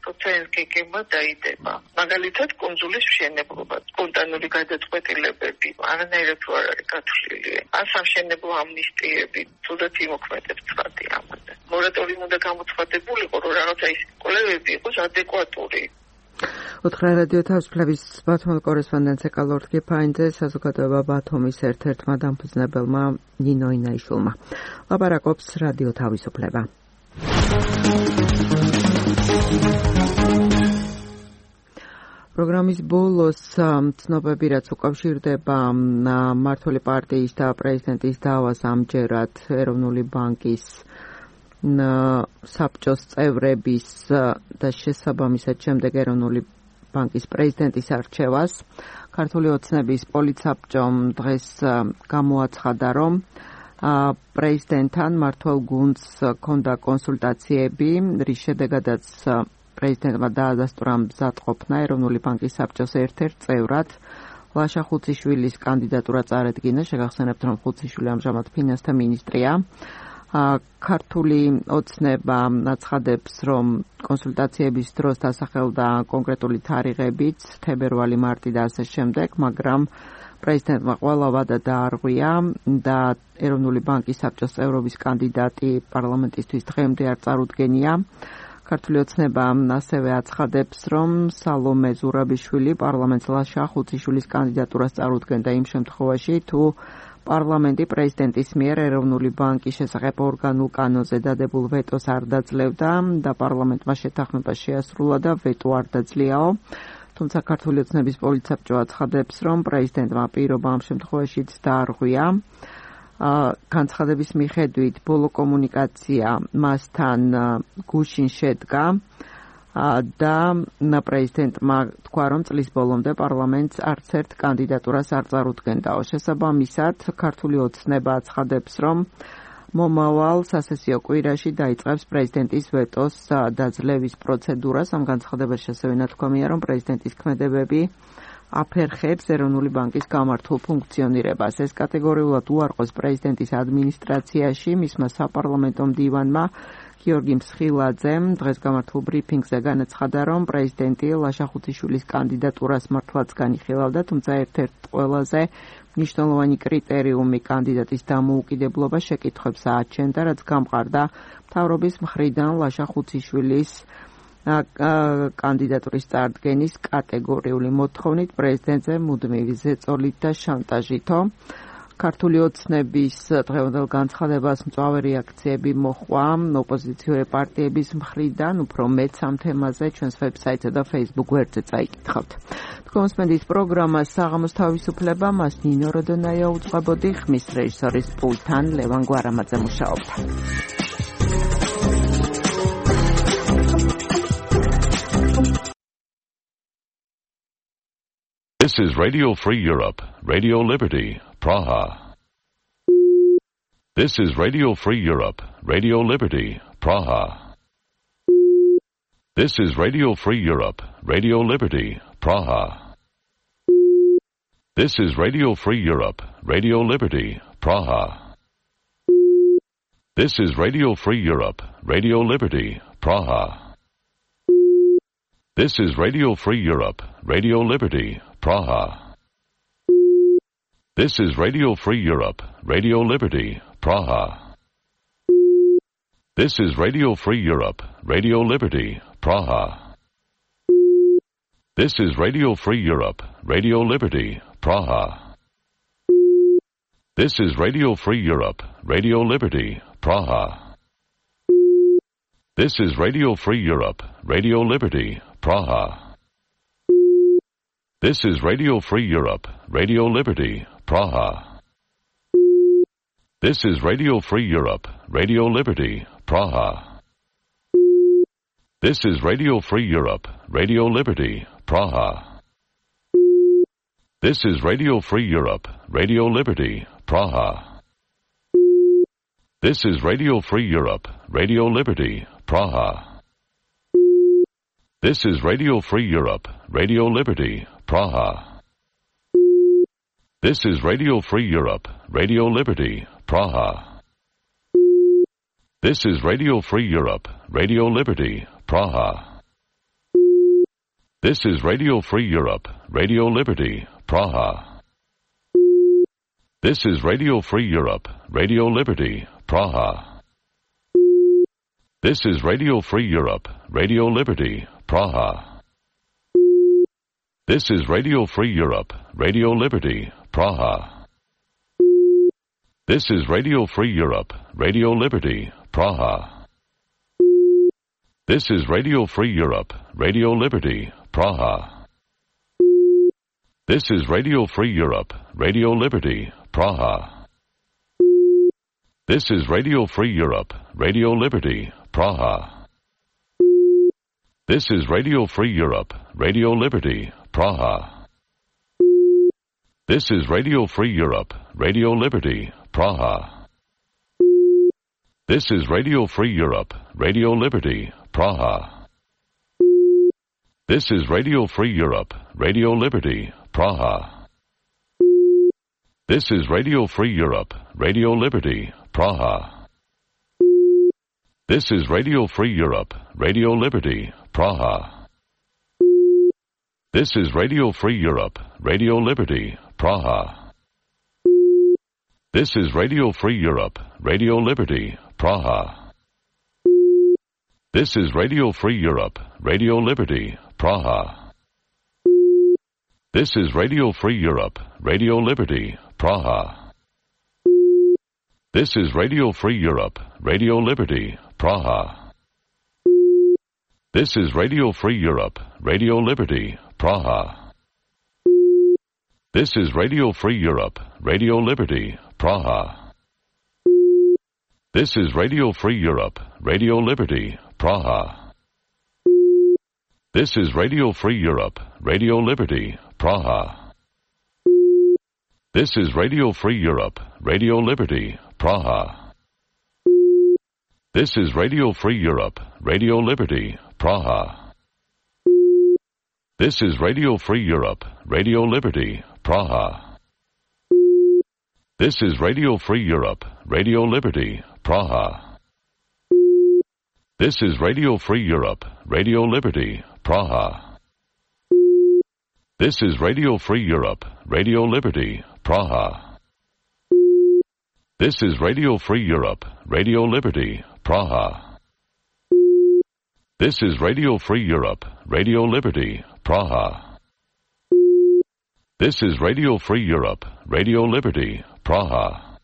როცა ეს გეგმა დაიდება. მაგალითად, კუნძულის მშენებლობა, სპონტანური გადაწყვეტილებები, არანაირად არ არის გათვლილი. ან სამშენებლო ამნისტიები, თუნდაც იმოქმედებს ცხადი ამაზე. მორატორიუმი უნდა გამოცხადებულიყო, რომ რაღაცა ის კვლევები იყოს ადეკვატური. უთხრა რადიო თავისუფლების ბათუმელ კორესპონდენტზე კალორდ გიფაინძე საზოგადოება ბათუმის ერთ-ერთმა დამფუძნებელმა ნინო ინაიშვილმა. ლაპარაკობს რადიო თავისუფლება. პროგრამის ბოლოს ცნობები, რაც უკავშირდება მმართველი პარტიის და პრეზიდენტის დავას, ამჯერად ეროვნული ბანკის საბჭოს წევრების და შესაბამისად შემდეგ ეროვნული ბანკის პრეზიდენტის არჩევას. ქართული ოცნების პოლიცსაბჭომ დღეს გამოაცხადა, რომ პრეზიდენტთან მმართველ გუნდს ჰქონდა კონსულტაციები, რის შედეგადაც პრეზიდენტმა დაადასტურა მზადყოფნა ეროვნული ბანკის საბჭოს ერთ-ერთ წევრად ლაშა ხუციშვილის კანდიდატურა წარადგინა. შეგახსენებთ, რომ ხუციშვილი ამჟამად ფინანსთა მინისტრია. ქართული ოცნება აცხადებს, რომ კონსულტაციების დროს დასახელდა კონკრეტული თარიღებიც, თებერვალი, მარტი და ასე შემდეგ, მაგრამ პრეზიდენტმა ყველა ვადა დაარღვია და ეროვნული ბანკის საბჭოს წევრობის კანდიდატი პარლამენტისთვის დღემდე არ წარუდგენია. ქართული ოცნება ასევე აცხადებს, რომ სალომე ზურაბიშვილი პარლამენტს ლაშა ხუციშვილის კანდიდატურას წარუდგენდა იმ შემთხვევაში, თუ პარლამენტი პრეზიდენტის მიერ ეროვნული ბანკის შესახებ ორგანულ კანონზე დადებულ ვეტოს არ დაძლევდა და პარლამენტმა შეთანხმება შეასრულა და ვეტო არ დაძლიაო. თუმცა ქართული ოცნების პოლიცსაბჭო აცხადებს, რომ პრეზიდენტმა პირობა ამ შემთხვევაშიც დაარღვია. განცხადების მიხედვით ბოლო კომუნიკაცია მასთან გუშინ შედგა და პრეზიდენტმა თქვა, რომ წლის ბოლომდე პარლამენტს არც ერთ კანდიდატურას არ წარუდგენდაო. შესაბამისად, ქართული ოცნება აცხადებს, რომ მომავალ სასესიო კვირაში დაიწყებს პრეზიდენტის ვეტოს დაძლევის პროცედურას. ამ განცხადებაში ასევე ნათქვამია, რომ პრეზიდენტის ქმედებები აფერხებს ეროვნული ბანკის გამართულ ფუნქციონირებას. ეს კატეგორიულად უარყოს პრეზიდენტის ადმინისტრაციაში მისმა საპარლამენტო მდივანმა გიორგი მსხილაძემ დღეს გამართულ ბრიფინგზე განაცხადა, რომ პრეზიდენტი ლაშა ხუციშვილის კანდიდატურას მართლაც განიხილავდა, თუმცა ერთ-ერთ ყველაზე მნიშვნელოვანი კრიტერიუმი კანდიდატის დამოუკიდებლობა შეკითხვებს აჩენდა, რაც გამყარდა მთავრობის მხრიდან ლაშა ხუციშვილის კანდიდატურის წარდგენის კატეგორიული მოთხოვნით პრეზიდენტზე მუდმივი ზეწოლით და შანტაჟითო. ქართული ოცნების დღევანდელ განცხადებას მწვავე რეაქციები მოჰყვა ოპოზიციური პარტიების მხრიდან, უფრო მეტ ამ თემაზე ჩვენს ვებსაიტსა და Facebook გვერდზე წაიკითხავთ. თქვენს პროგრამა საღამოს თავისუფლება, მას ნინო როდონაია უძღვებოდი, ხმის რეჟისორის პულტთან ლევან გვარამაძე მუშაობდა. This is Radio Free Europe, Radio Liberty, Praha. This is Radio Free Europe, Radio Liberty, Praha. This is Radio Free Europe, Radio Liberty, Praha. This is Radio Free Europe, Radio Liberty, Praha. This is Radio Free Europe, Radio Liberty, Praha. This is Radio Free Europe, Radio Liberty, Praha. This is Radio Free Europe, Radio Liberty, Praha. This is Radio Free Europe, Radio Liberty, Praha. This is Radio Free Europe, Radio Liberty, Praha. This is Radio Free Europe, Radio Liberty, Praha. This is Radio Free Europe, Radio Liberty, Praha. This is Radio Free Europe, Radio Liberty, Praha. This is Radio Free Europe, Radio Liberty, Praha. This is Radio Free Europe, Radio Liberty, Praha. This is Radio Free Europe, Radio Liberty, Praha. This is Radio Free Europe, Radio Liberty, Praha. This is Radio Free Europe, Radio Liberty, Praha. This is Radio Free Europe, Radio Liberty, Praha. This is Radio Free Europe, Radio Liberty, Praha. This is Radio Free Europe, Radio Liberty, Praha. This is Radio Free Europe, Radio Liberty, Praha. This is Radio Free Europe, Radio Liberty, Praha. This is Radio Free Europe, Radio Liberty, Praha. This is Radio Free Europe, Radio Liberty, Praha. This is Radio Free Europe, Radio Liberty, Praha. This is Radio Free Europe, Radio Liberty, Praha. This is Radio Free Europe, Radio Liberty, Praha. This is Radio Free Europe, Radio Liberty, Praha. This is Radio Free Europe, Radio Liberty, Praha. This is Radio Free Europe, Radio Liberty, Praha. This is Radio Free Europe, Radio Liberty, Praha. This is Radio Free Europe, Radio Liberty, Praha. This is Radio Free Europe, Radio Liberty, Praha. This is Radio Free Europe, Radio Liberty, Praha. This is Radio Free Europe, Radio Liberty, Praha. This is Radio Free Europe, Radio Liberty, Praha. This is Radio Free Europe, Radio Liberty, Praha. This is Radio Free Europe, Radio Liberty, Praha. This is Radio Free Europe, Radio Liberty, Praha. This is Radio Free Europe, Radio Liberty, Praha. This is Radio Free Europe, Radio Liberty, Praha. This is Radio Free Europe, Radio Liberty, Praha. This is Radio Free Europe, Radio Liberty, Praha. This is Radio Free Europe, Radio Liberty, Praha. This is Radio Free Europe, Radio Liberty, Praha. This is Radio Free Europe, Radio Liberty, Praha. This is Radio Free Europe, Radio Liberty, Praha. This is Radio Free Europe, Radio Liberty, Praha. This is Radio Free Europe, Radio Liberty, Praha. This is Radio Free Europe, Radio Liberty, Praha. This is Radio Free Europe, Radio Liberty, Praha.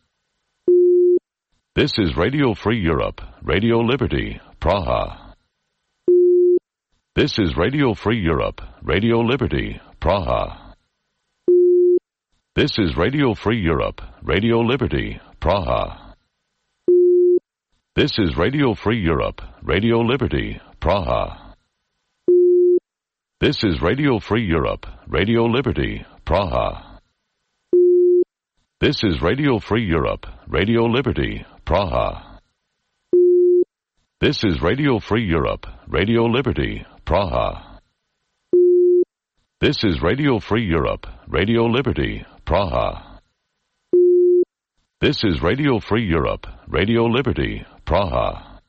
This is Radio Free Europe, Radio Liberty, Praha. This is Radio Free Europe, Radio Liberty, Praha. This is Radio Free Europe, Radio Liberty, Praha. This is Radio Free Europe, Radio Liberty, Praha. This is Radio Free Europe, Radio Liberty, Praha. This is Radio Free Europe, Radio Liberty, Praha. This is Radio Free Europe, Radio Liberty, Praha. This is Radio Free Europe, Radio Liberty, Praha. This is Radio Free Europe, Radio Liberty, Praha.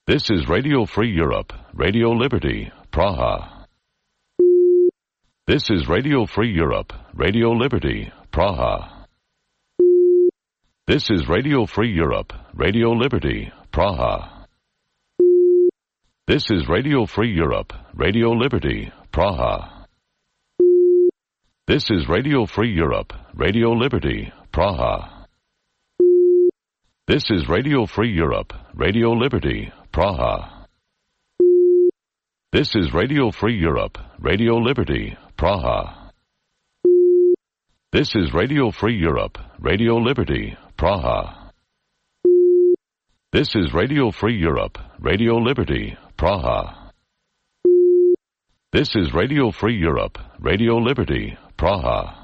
This is Radio Free Europe, Radio Liberty, Praha. This is Radio Free Europe, Radio Liberty, Praha. This is Radio Free Europe, Radio Liberty, Praha. This is Radio Free Europe, Radio Liberty, Praha. This is Radio Free Europe, Radio Liberty, Praha. This is Radio Free Europe, Radio Liberty, Praha. This is Radio Free Europe, Radio Liberty, Praha. This is Radio Free Europe, Radio Liberty, Praha. This is Radio Free Europe, Radio Liberty, Praha. This is Radio Free Europe, Radio Liberty, Praha.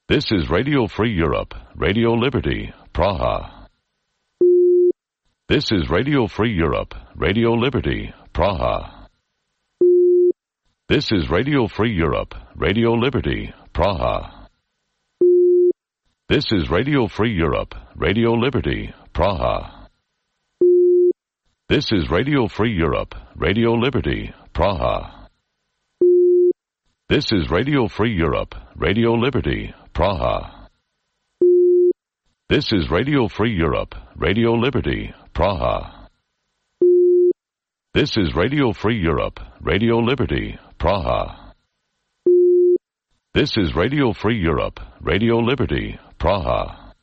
This is Radio Free Europe, Radio Liberty, Praha. This is Radio Free Europe, Radio Liberty, Praha. This is Radio Free Europe, Radio Liberty, Praha. This is Radio Free Europe, Radio Liberty, Praha. This is Radio Free Europe, Radio Liberty, Praha. This is Radio Free Europe, Radio Liberty, Praha. This is Radio Free Europe, Radio Liberty, Praha. This is Radio Free Europe, Radio Liberty, Praha. This is Radio Free Europe, Radio Liberty, Praha.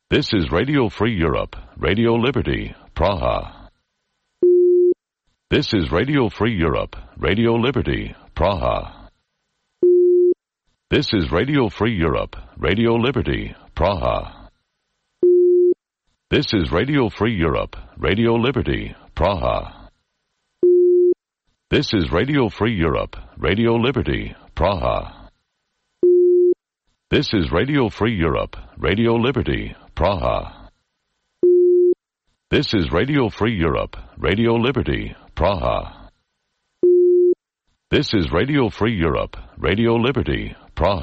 This is Radio Free Europe, Radio Liberty, Praha. This is Radio Free Europe, Radio Liberty, Praha. This is Radio Free Europe, Radio Liberty, Praha. This is Radio Free Europe, Radio Liberty, Praha. This is Radio Free Europe, Radio Liberty, Praha. This is Radio Free Europe, Radio Liberty, Praha. This is Radio Free Europe, Radio Liberty, Praha. This is Radio Free Europe, Radio Liberty,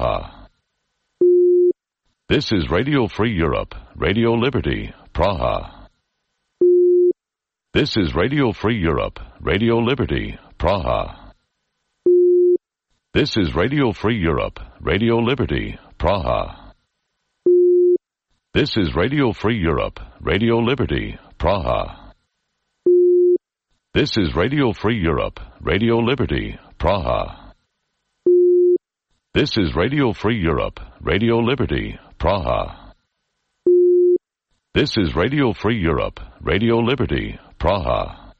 Praha. This is Radio Free Europe, Radio Liberty, Praha. This is Radio Free Europe, Radio Liberty, Praha. This is Radio Free Europe, Radio Liberty, Praha. This is Radio Free Europe, Radio Liberty, Praha. This is Radio Free Europe, Radio Liberty, Praha. This is Radio Free Europe, Radio Liberty, Praha. This is Radio Free Europe, Radio Liberty, Praha.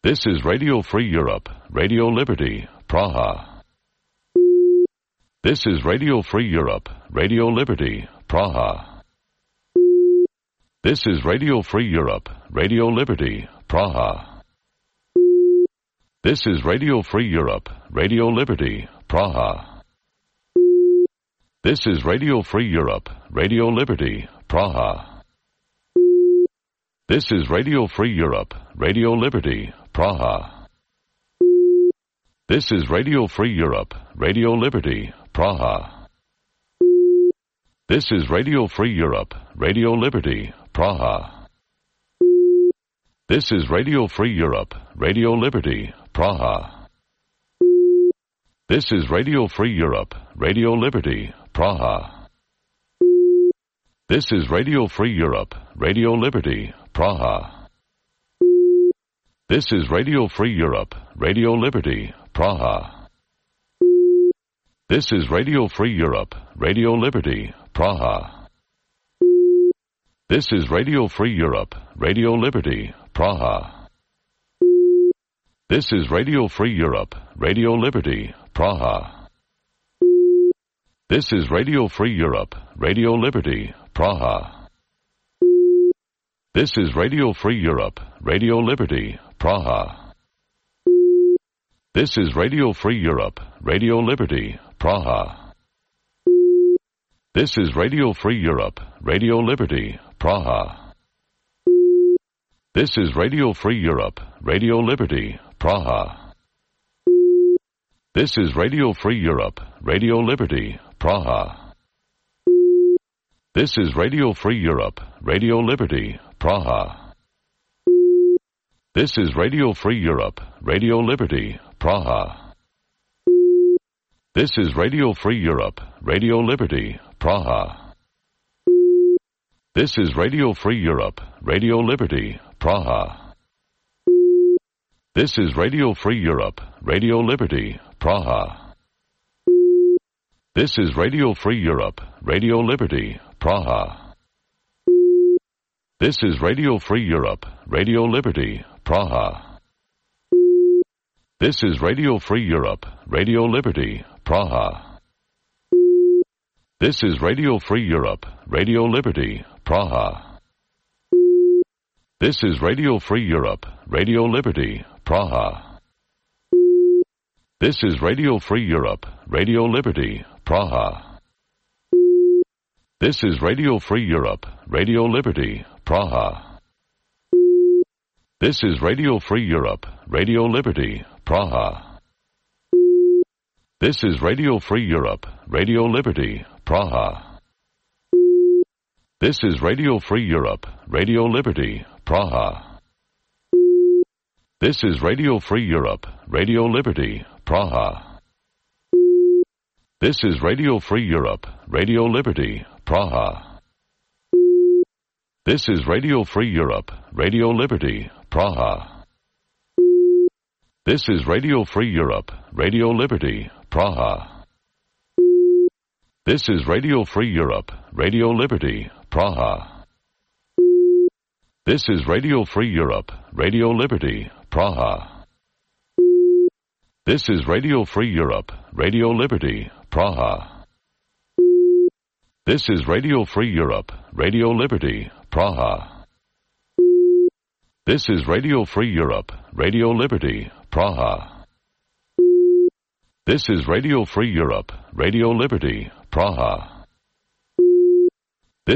This is Radio Free Europe, Radio Liberty, Praha. This is Radio Free Europe, Radio Liberty, Praha. This is Radio Free Europe, Radio Liberty, Praha. This is Radio Free Europe, Radio Liberty, Praha. This is Radio Free Europe, Radio Liberty, Praha. This is Radio Free Europe, Radio Liberty, Praha. This is Radio Free Europe, Radio Liberty, Praha. This is Radio Free Europe, Radio Liberty, Praha. This is Radio Free Europe, Radio Liberty, Praha. This is Radio Free Europe, Radio Liberty, Praha. This is Radio Free Europe, Radio Liberty, Praha. This is Radio Free Europe, Radio Liberty, Praha. This is Radio Free Europe, Radio Liberty, Praha. This is Radio Free Europe, Radio Liberty, Praha. This is Radio Free Europe, Radio Liberty, Praha. This is Radio Free Europe, Radio Liberty, Praha. This is Radio Free Europe, Radio Liberty, Praha. This is Radio Free Europe, Radio Liberty, Praha. This is Radio Free Europe, Radio Liberty, Praha. This is Radio Free Europe, Radio Liberty, Praha. This is Radio Free Europe, Radio Liberty, Praha. This is Radio Free Europe, Radio Liberty, Praha. This is Radio Free Europe, Radio Liberty, Praha. This is Radio Free Europe, Radio Liberty, Praha. This is Radio Free Europe, Radio Liberty, Praha. This is Radio Free Europe, Radio Liberty, Praha. This is Radio Free Europe, Radio Liberty, Praha. This is Radio Free Europe, Radio Liberty, Praha. This is Radio Free Europe, Radio Liberty, Praha. This is Radio Free Europe, Radio Liberty, Praha. This is Radio Free Europe, Radio Liberty, Praha. This is Radio Free Europe, Radio Liberty, Praha. This is Radio Free Europe, Radio Liberty, Praha. This is Radio Free Europe, Radio Liberty, Praha. This is Radio Free Europe, Radio Liberty, Praha. This is Radio Free Europe, Radio Liberty, Praha. This is Radio Free Europe, Radio Liberty, Praha. This is Radio Free Europe, Radio Liberty, Praha. This is Radio Free Europe, Radio Liberty, Praha. This is Radio Free Europe, Radio Liberty, Praha. This is Radio Free Europe, Radio Liberty, Praha. This is Radio Free Europe, Radio Liberty, Praha. This is Radio Free Europe, Radio Liberty, Praha. This is Radio Free Europe, Radio Liberty, Praha. This is Radio Free Europe, Radio Liberty, Praha. This is Radio Free Europe, Radio Liberty, Praha. This is Radio Free Europe, Radio Liberty, Praha.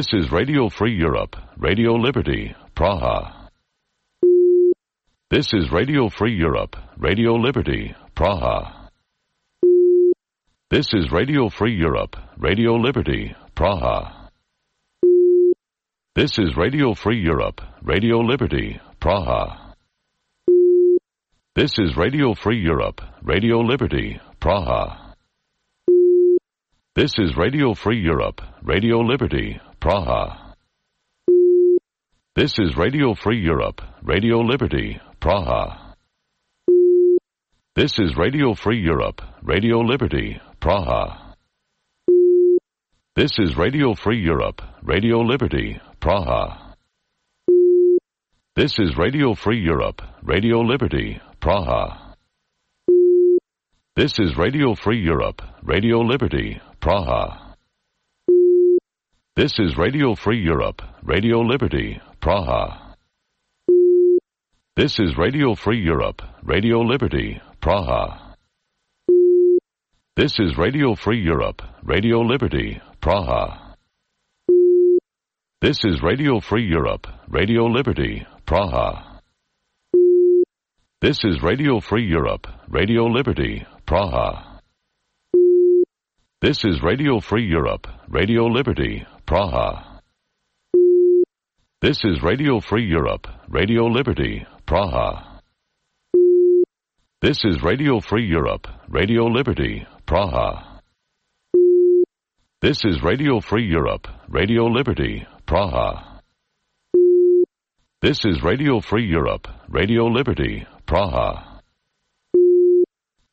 This is Radio Free Europe, Radio Liberty, Praha. This is Radio Free Europe, Radio Liberty, Praha. This is Radio Free Europe, Radio Liberty, Praha. This is Radio Free Europe, Radio Liberty, Praha. This is Radio Free Europe, Radio Liberty, Praha. This is Radio Free Europe, Radio Liberty, Praha. This is Radio Free Europe, Radio Liberty, Praha. This is Radio Free Europe, Radio Liberty, Praha. This is Radio Free Europe, Radio Liberty, Praha. This is Radio Free Europe, Radio Liberty, Praha. This is Radio Free Europe, Radio Liberty, Praha. This is Radio Free Europe, Radio Liberty, Praha. This is Radio Free Europe, Radio Liberty, Praha. This is Radio Free Europe, Radio Liberty, Praha. This is Radio Free Europe, Radio Liberty, Praha. This is Radio Free Europe, Radio Liberty, Praha. This is Radio Free Europe, Radio Liberty, Praha. This is Radio Free Europe, Radio Liberty, Praha. This is Radio Free Europe, Radio Liberty, Praha. This is Radio Free Europe, Radio Liberty, Praha.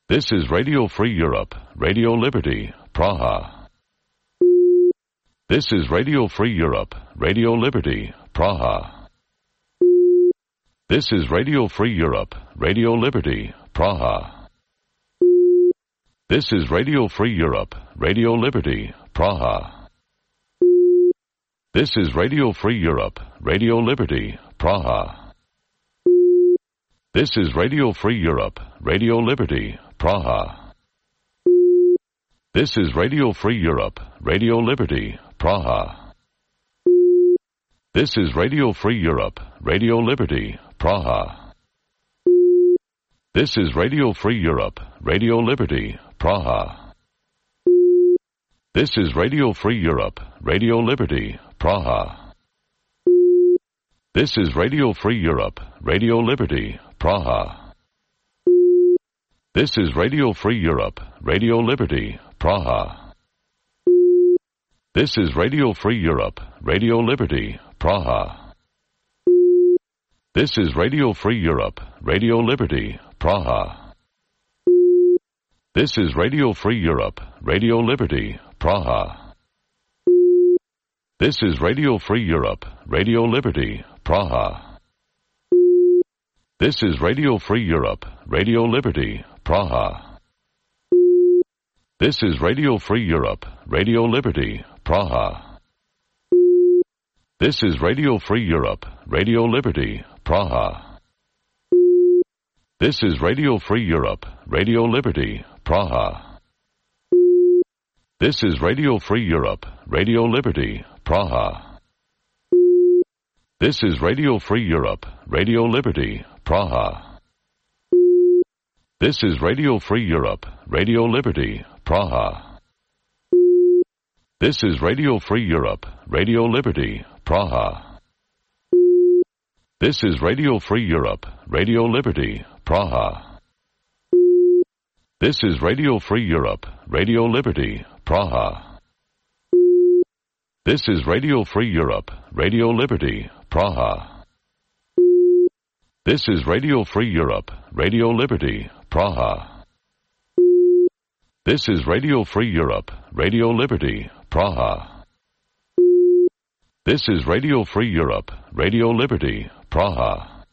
This is Radio Free Europe, Radio Liberty, Praha. This is Radio Free Europe, Radio Liberty, Praha. This is Radio Free Europe, Radio Liberty, Praha. This is Radio Free Europe, Radio Liberty, Praha. This is Radio Free Europe, Radio Liberty, Praha. This is Radio Free Europe, Radio Liberty, Praha. This is Radio Free Europe, Radio Liberty, Praha. This is Radio Free Europe, Radio Liberty, Praha. This is Radio Free Europe, Radio Liberty, Praha. This is Radio Free Europe, Radio Liberty, Praha. This is Radio Free Europe, Radio Liberty, Praha. This is Radio Free Europe, Radio Liberty, Praha. This is Radio Free Europe, Radio Liberty, Praha. This is Radio Free Europe, Radio Liberty, Praha. This is Radio Free Europe, Radio Liberty, Praha. This is Radio Free Europe, Radio Liberty, Praha. This is Radio Free Europe, Radio Liberty, Praha. This is Radio Free Europe, Radio Liberty, Praha. This is Radio Free Europe, Radio Liberty, Praha. This is Radio Free Europe, Radio Liberty, Praha. This is Radio Free Europe, Radio Liberty, Praha. This is Radio Free Europe, Radio Liberty, Praha. This is Radio Free Europe, Radio Liberty, Praha. This is Radio Free Europe, Radio Liberty, Praha. This is Radio Free Europe, Radio Liberty, Praha. This is Radio Free Europe, Radio Liberty, Praha. This is Radio Free Europe, Radio Liberty, Praha. This is Radio Free Europe, Radio Liberty, Praha. This is Radio Free Europe, Radio Liberty, Praha. This is Radio Free Europe, Radio Liberty, Praha.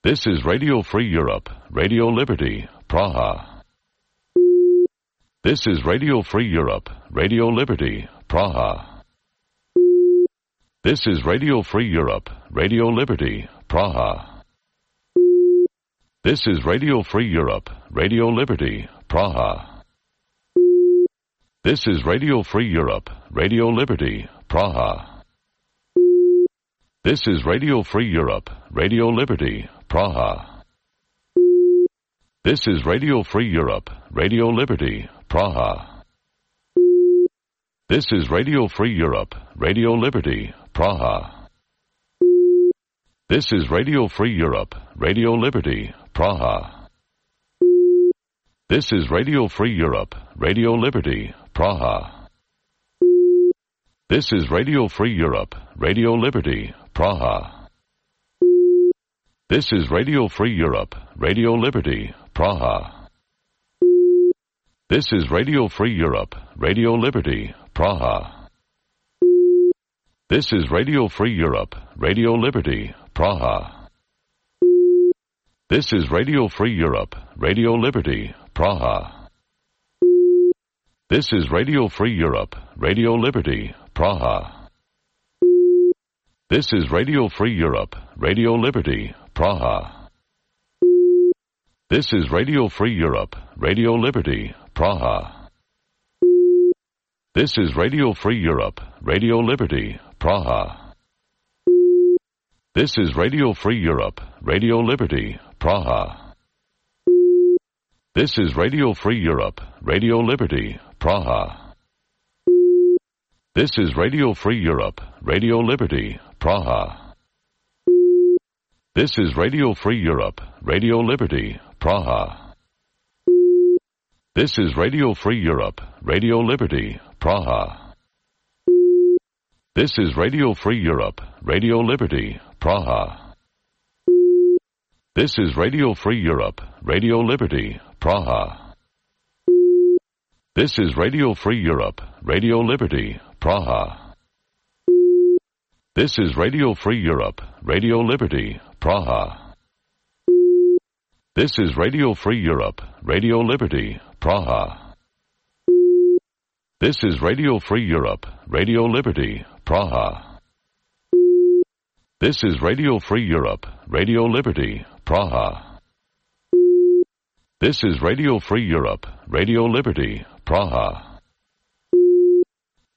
This is Radio Free Europe, Radio Liberty, Praha. This is Radio Free Europe, Radio Liberty, Praha. This is Radio Free Europe, Radio Liberty, Praha. This is Radio Free Europe, Radio Liberty, Praha. This is Radio Free Europe, Radio Liberty, Praha. This is Radio Free Europe, Radio Liberty, Praha. This is Radio Free Europe, Radio Liberty, Praha. This is Radio Free Europe, Radio Liberty, Praha. This is Radio Free Europe, Radio Liberty, Praha. This is Radio Free Europe, Radio Liberty, Praha. This is Radio Free Europe, Radio Liberty, Praha. This is Radio Free Europe, Radio Liberty, Praha. This is Radio Free Europe, Radio Liberty, Praha. This is Radio Free Europe, Radio Liberty, Praha. This is Radio Free Europe, Radio Liberty, Praha. This is Radio Free Europe, Radio Liberty, Praha. This is Radio Free Europe, Radio Liberty, Praha. This is Radio Free Europe, Radio Liberty, Praha. This is Radio Free Europe, Radio Liberty, Praha. This is Radio Free Europe, Radio Liberty, Praha. This is Radio Free Europe, Radio Liberty, Praha. This is Radio Free Europe, Radio Liberty, Praha. This is Radio Free Europe, Radio Liberty, Praha. This is Radio Free Europe, Radio Liberty, Praha. This is Radio Free Europe, Radio Liberty, Praha. This is Radio Free Europe, Radio Liberty, Praha. This is Radio Free Europe, Radio Liberty, Praha. This is Radio Free Europe, Radio Liberty, Praha. This is Radio Free Europe, Radio Liberty, Praha. This is Radio Free Europe, Radio Liberty, Praha. This is Radio Free Europe, Radio Liberty, Praha. This is Radio Free Europe, Radio Liberty, Praha.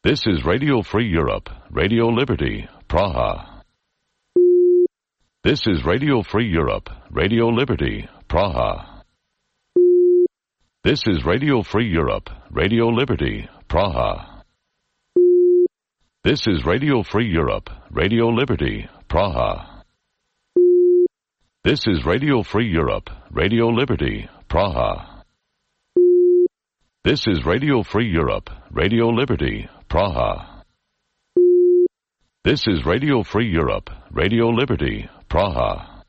This is Radio Free Europe, Radio Liberty, Praha. This is Radio Free Europe, Radio Liberty, Praha. This is Radio Free Europe, Radio Liberty, Praha. This is Radio Free Europe, Radio Liberty, Praha. This is Radio Free Europe, Radio Liberty, Praha. This is Radio Free Europe, Radio Liberty, Praha. This is Radio Free Europe, Radio Liberty, Praha.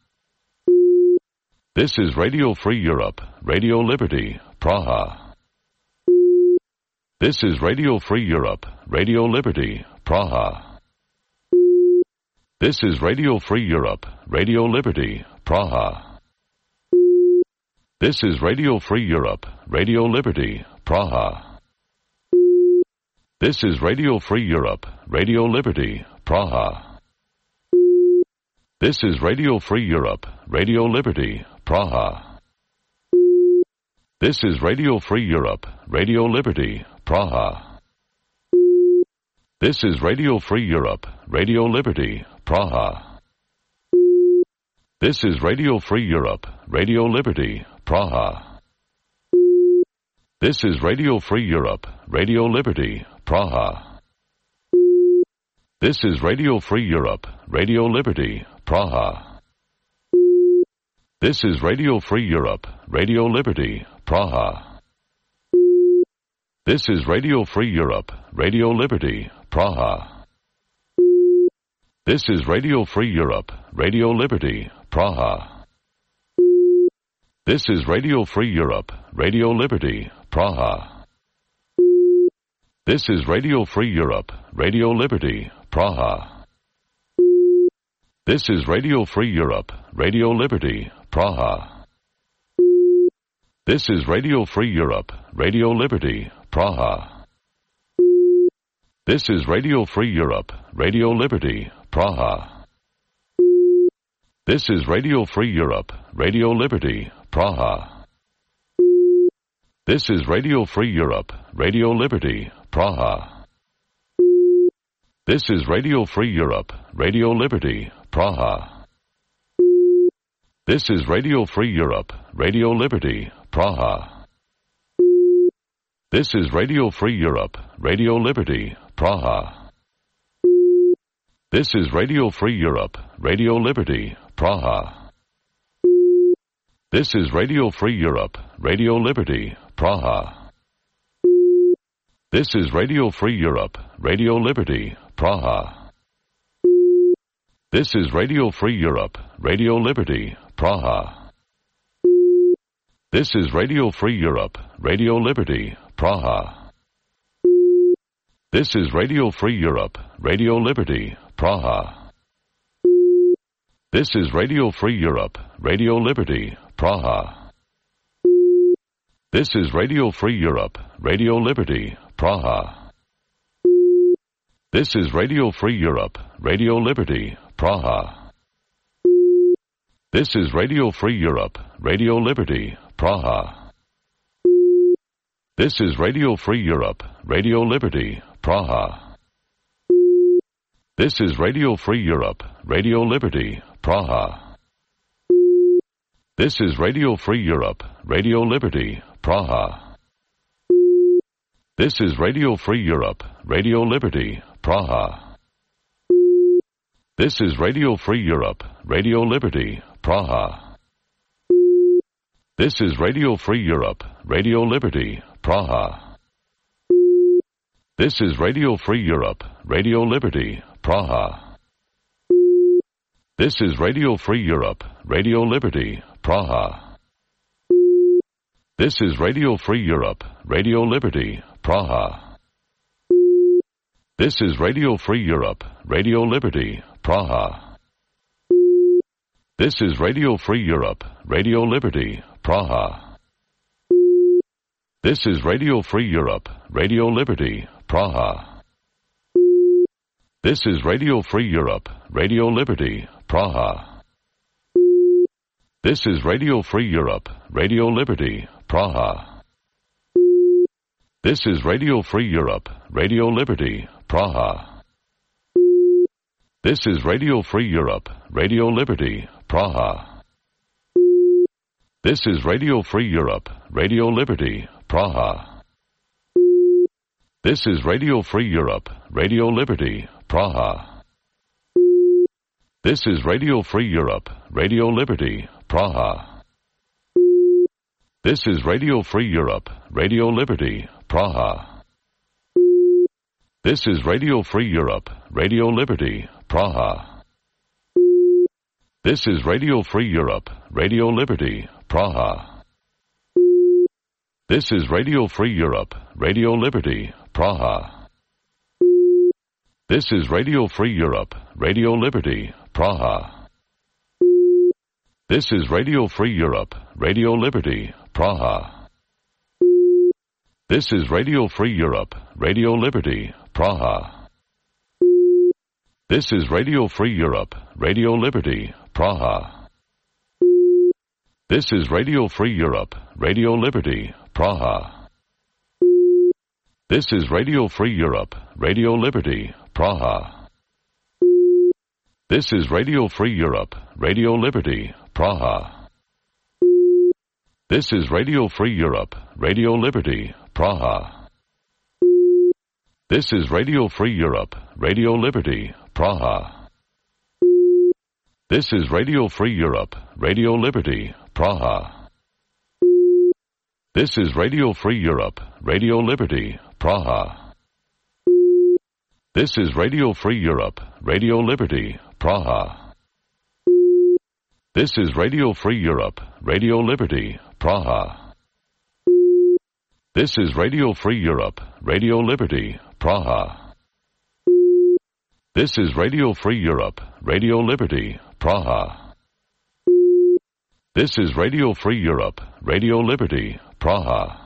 This is Radio Free Europe, Radio Liberty, Praha. This is Radio Free Europe, Radio Liberty, Praha. This is Radio Free Europe, Radio Liberty, Praha. This is Radio Free Europe, Radio Liberty, Praha. This is Radio Free Europe, Radio Liberty, Praha. This is Radio Free Europe, Radio Liberty, Praha. This is Radio Free Europe, Radio Liberty, Praha. This is Radio Free Europe, Radio Liberty, Praha. This is Radio Free Europe, Radio Liberty, Praha. This is Radio Free Europe, Radio Liberty, Praha. This is Radio Free Europe, Radio Liberty, Praha. This is Radio Free Europe, Radio Liberty, Praha. This is Radio Free Europe, Radio Liberty, Praha. This is Radio Free Europe, Radio Liberty, Praha. This is Radio Free Europe, Radio Liberty, Praha. This is Radio Free Europe, Radio Liberty, Praha. This is Radio Free Europe, Radio Liberty, Praha. This is Radio Free Europe, Radio Liberty, Praha. This is Radio Free Europe, Radio Liberty, Praha. This is Radio Free Europe, Radio Liberty, Praha. This is Radio Free Europe, Radio Liberty, Praha. This is Radio Free Europe, Radio Liberty, Praha. This is Radio Free Europe, Radio Liberty, Praha. This is Radio Free Europe, Radio Liberty, Praha. This is Radio Free Europe, Radio Liberty, Praha. This is Radio Free Europe, Radio Liberty, Praha. This is Radio Free Europe, Radio Liberty, Praha. This is Radio Free Europe, Radio Liberty, Praha. This is Radio Free Europe, Radio Liberty, Praha. This is Radio Free Europe, Radio Liberty, Praha. This is Radio Free Europe, Radio Liberty, Praha. This is Radio Free Europe, Radio Liberty, Praha. This is Radio Free Europe, Radio Liberty, Praha. This is Radio Free Europe, Radio Liberty, Praha. This is Radio Free Europe, Radio Liberty, Praha. This is Radio Free Europe, Radio Liberty, Praha. This is Radio Free Europe, Radio Liberty, Praha. This is Radio Free Europe, Radio Liberty, Praha. This is Radio Free Europe, Radio Liberty, Praha. This is Radio Free Europe, Radio Liberty, Praha. This is Radio Free Europe, Radio Liberty, Praha. This is Radio Free Europe, Radio Liberty, Praha. This is Radio Free Europe, Radio Liberty, Praha. This is Radio Free Europe, Radio Liberty, Praha. This is Radio Free Europe, Radio Liberty, Praha. This is Radio Free Europe, Radio Liberty, Praha. This is Radio Free Europe, Radio Liberty, Praha. This is Radio Free Europe, Radio Liberty, Praha. This is Radio Free Europe, Radio Liberty, Praha. This is Radio Free Europe, Radio Liberty, Praha. This is Radio Free Europe, Radio Liberty, Praha. This is Radio Free Europe, Radio Liberty, Praha. This is Radio Free Europe, Radio Liberty, Praha. This is Radio Free Europe, Radio Liberty, Praha. This is Radio Free Europe, Radio Liberty, Praha. This is Radio Free Europe, Radio Liberty, Praha. This is Radio Free Europe, Radio Liberty, Praha. This is Radio Free Europe, Radio Liberty, Praha. This is Radio Free Europe, Radio Liberty, Praha. This is Radio Free Europe, Radio Liberty, Praha. This is Radio Free Europe, Radio Liberty, Praha. This is Radio Free Europe, Radio Liberty, Praha. This is Radio Free Europe, Radio Liberty, Praha. This is Radio Free Europe, Radio Liberty, Praha. This is Radio Free Europe, Radio Liberty, Praha. This is Radio Free Europe, Radio Liberty, Praha. This is Radio Free Europe, Radio Liberty, Praha. This is Radio Free Europe, Radio Liberty, Praha. This is Radio Free Europe, Radio Liberty, Praha. This is Radio Free Europe, Radio Liberty, Praha. This is Radio Free Europe, Radio Liberty, Praha. This is Radio Free Europe, Radio Liberty, Praha. This is Radio Free Europe, Radio Liberty, Praha.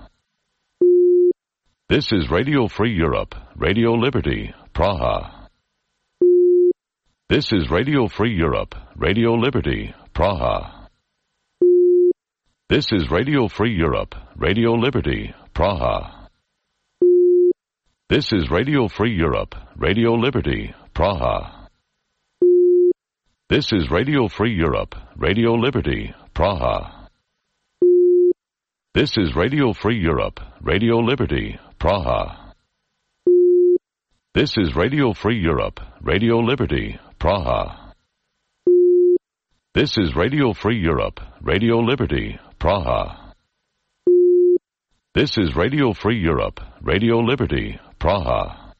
This is Radio Free Europe, Radio Liberty, Praha. This is Radio Free Europe, Radio Liberty, Praha. This is Radio Free Europe, Radio Liberty, Praha. This is Radio Free Europe, Radio Liberty, Praha. This is Radio Free Europe, Radio Liberty, Praha. This is Radio Free Europe, Radio Liberty, Praha. This is Radio Free Europe, Radio Liberty, Praha. This is Radio Free Europe, Radio Liberty, Praha. This is Radio Free Europe, Radio Liberty, Praha.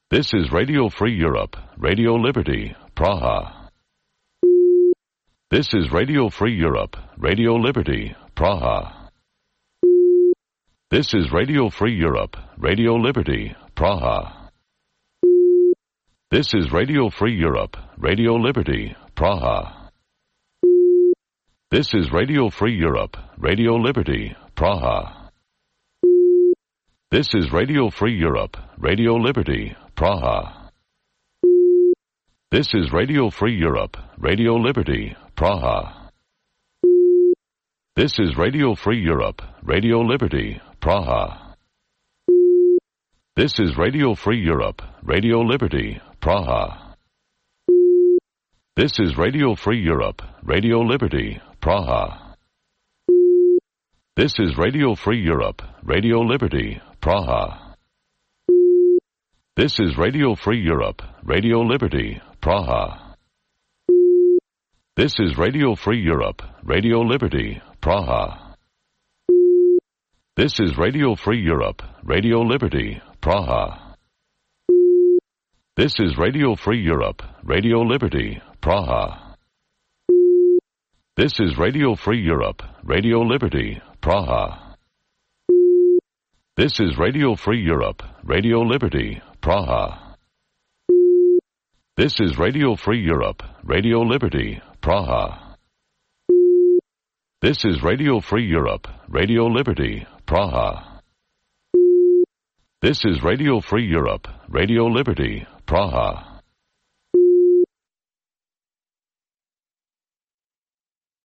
This is Radio Free Europe, Radio Liberty, Praha. This is Radio Free Europe, Radio Liberty, Praha. This is Radio Free Europe, Radio Liberty, Praha. This is Radio Free Europe, Radio Liberty, Praha. This is Radio Free Europe, Radio Liberty, Praha. This is Radio Free Europe, Radio Liberty, Praha. This is Radio Free Europe, Radio Liberty, Praha. This is Radio Free Europe, Radio Liberty, Praha. This is Radio Free Europe, Radio Liberty, Praha. This is Radio Free Europe, Radio Liberty, Praha. This is Radio Free Europe, Radio Liberty, Praha. This is Radio Free Europe, Radio Liberty, Praha. This is Radio Free Europe, Radio Liberty, Praha. This is Radio Free Europe, Radio Liberty, Praha. This is Radio Free Europe, Radio Liberty, Praha. This is Radio Free Europe, Radio Liberty, Praha. This is Radio Free Europe, Radio Liberty, Praha. This is Radio Free Europe, Radio Liberty, Praha. This is Radio Free Europe, Radio Liberty, Praha. This is Radio Free Europe, Radio Liberty, Praha.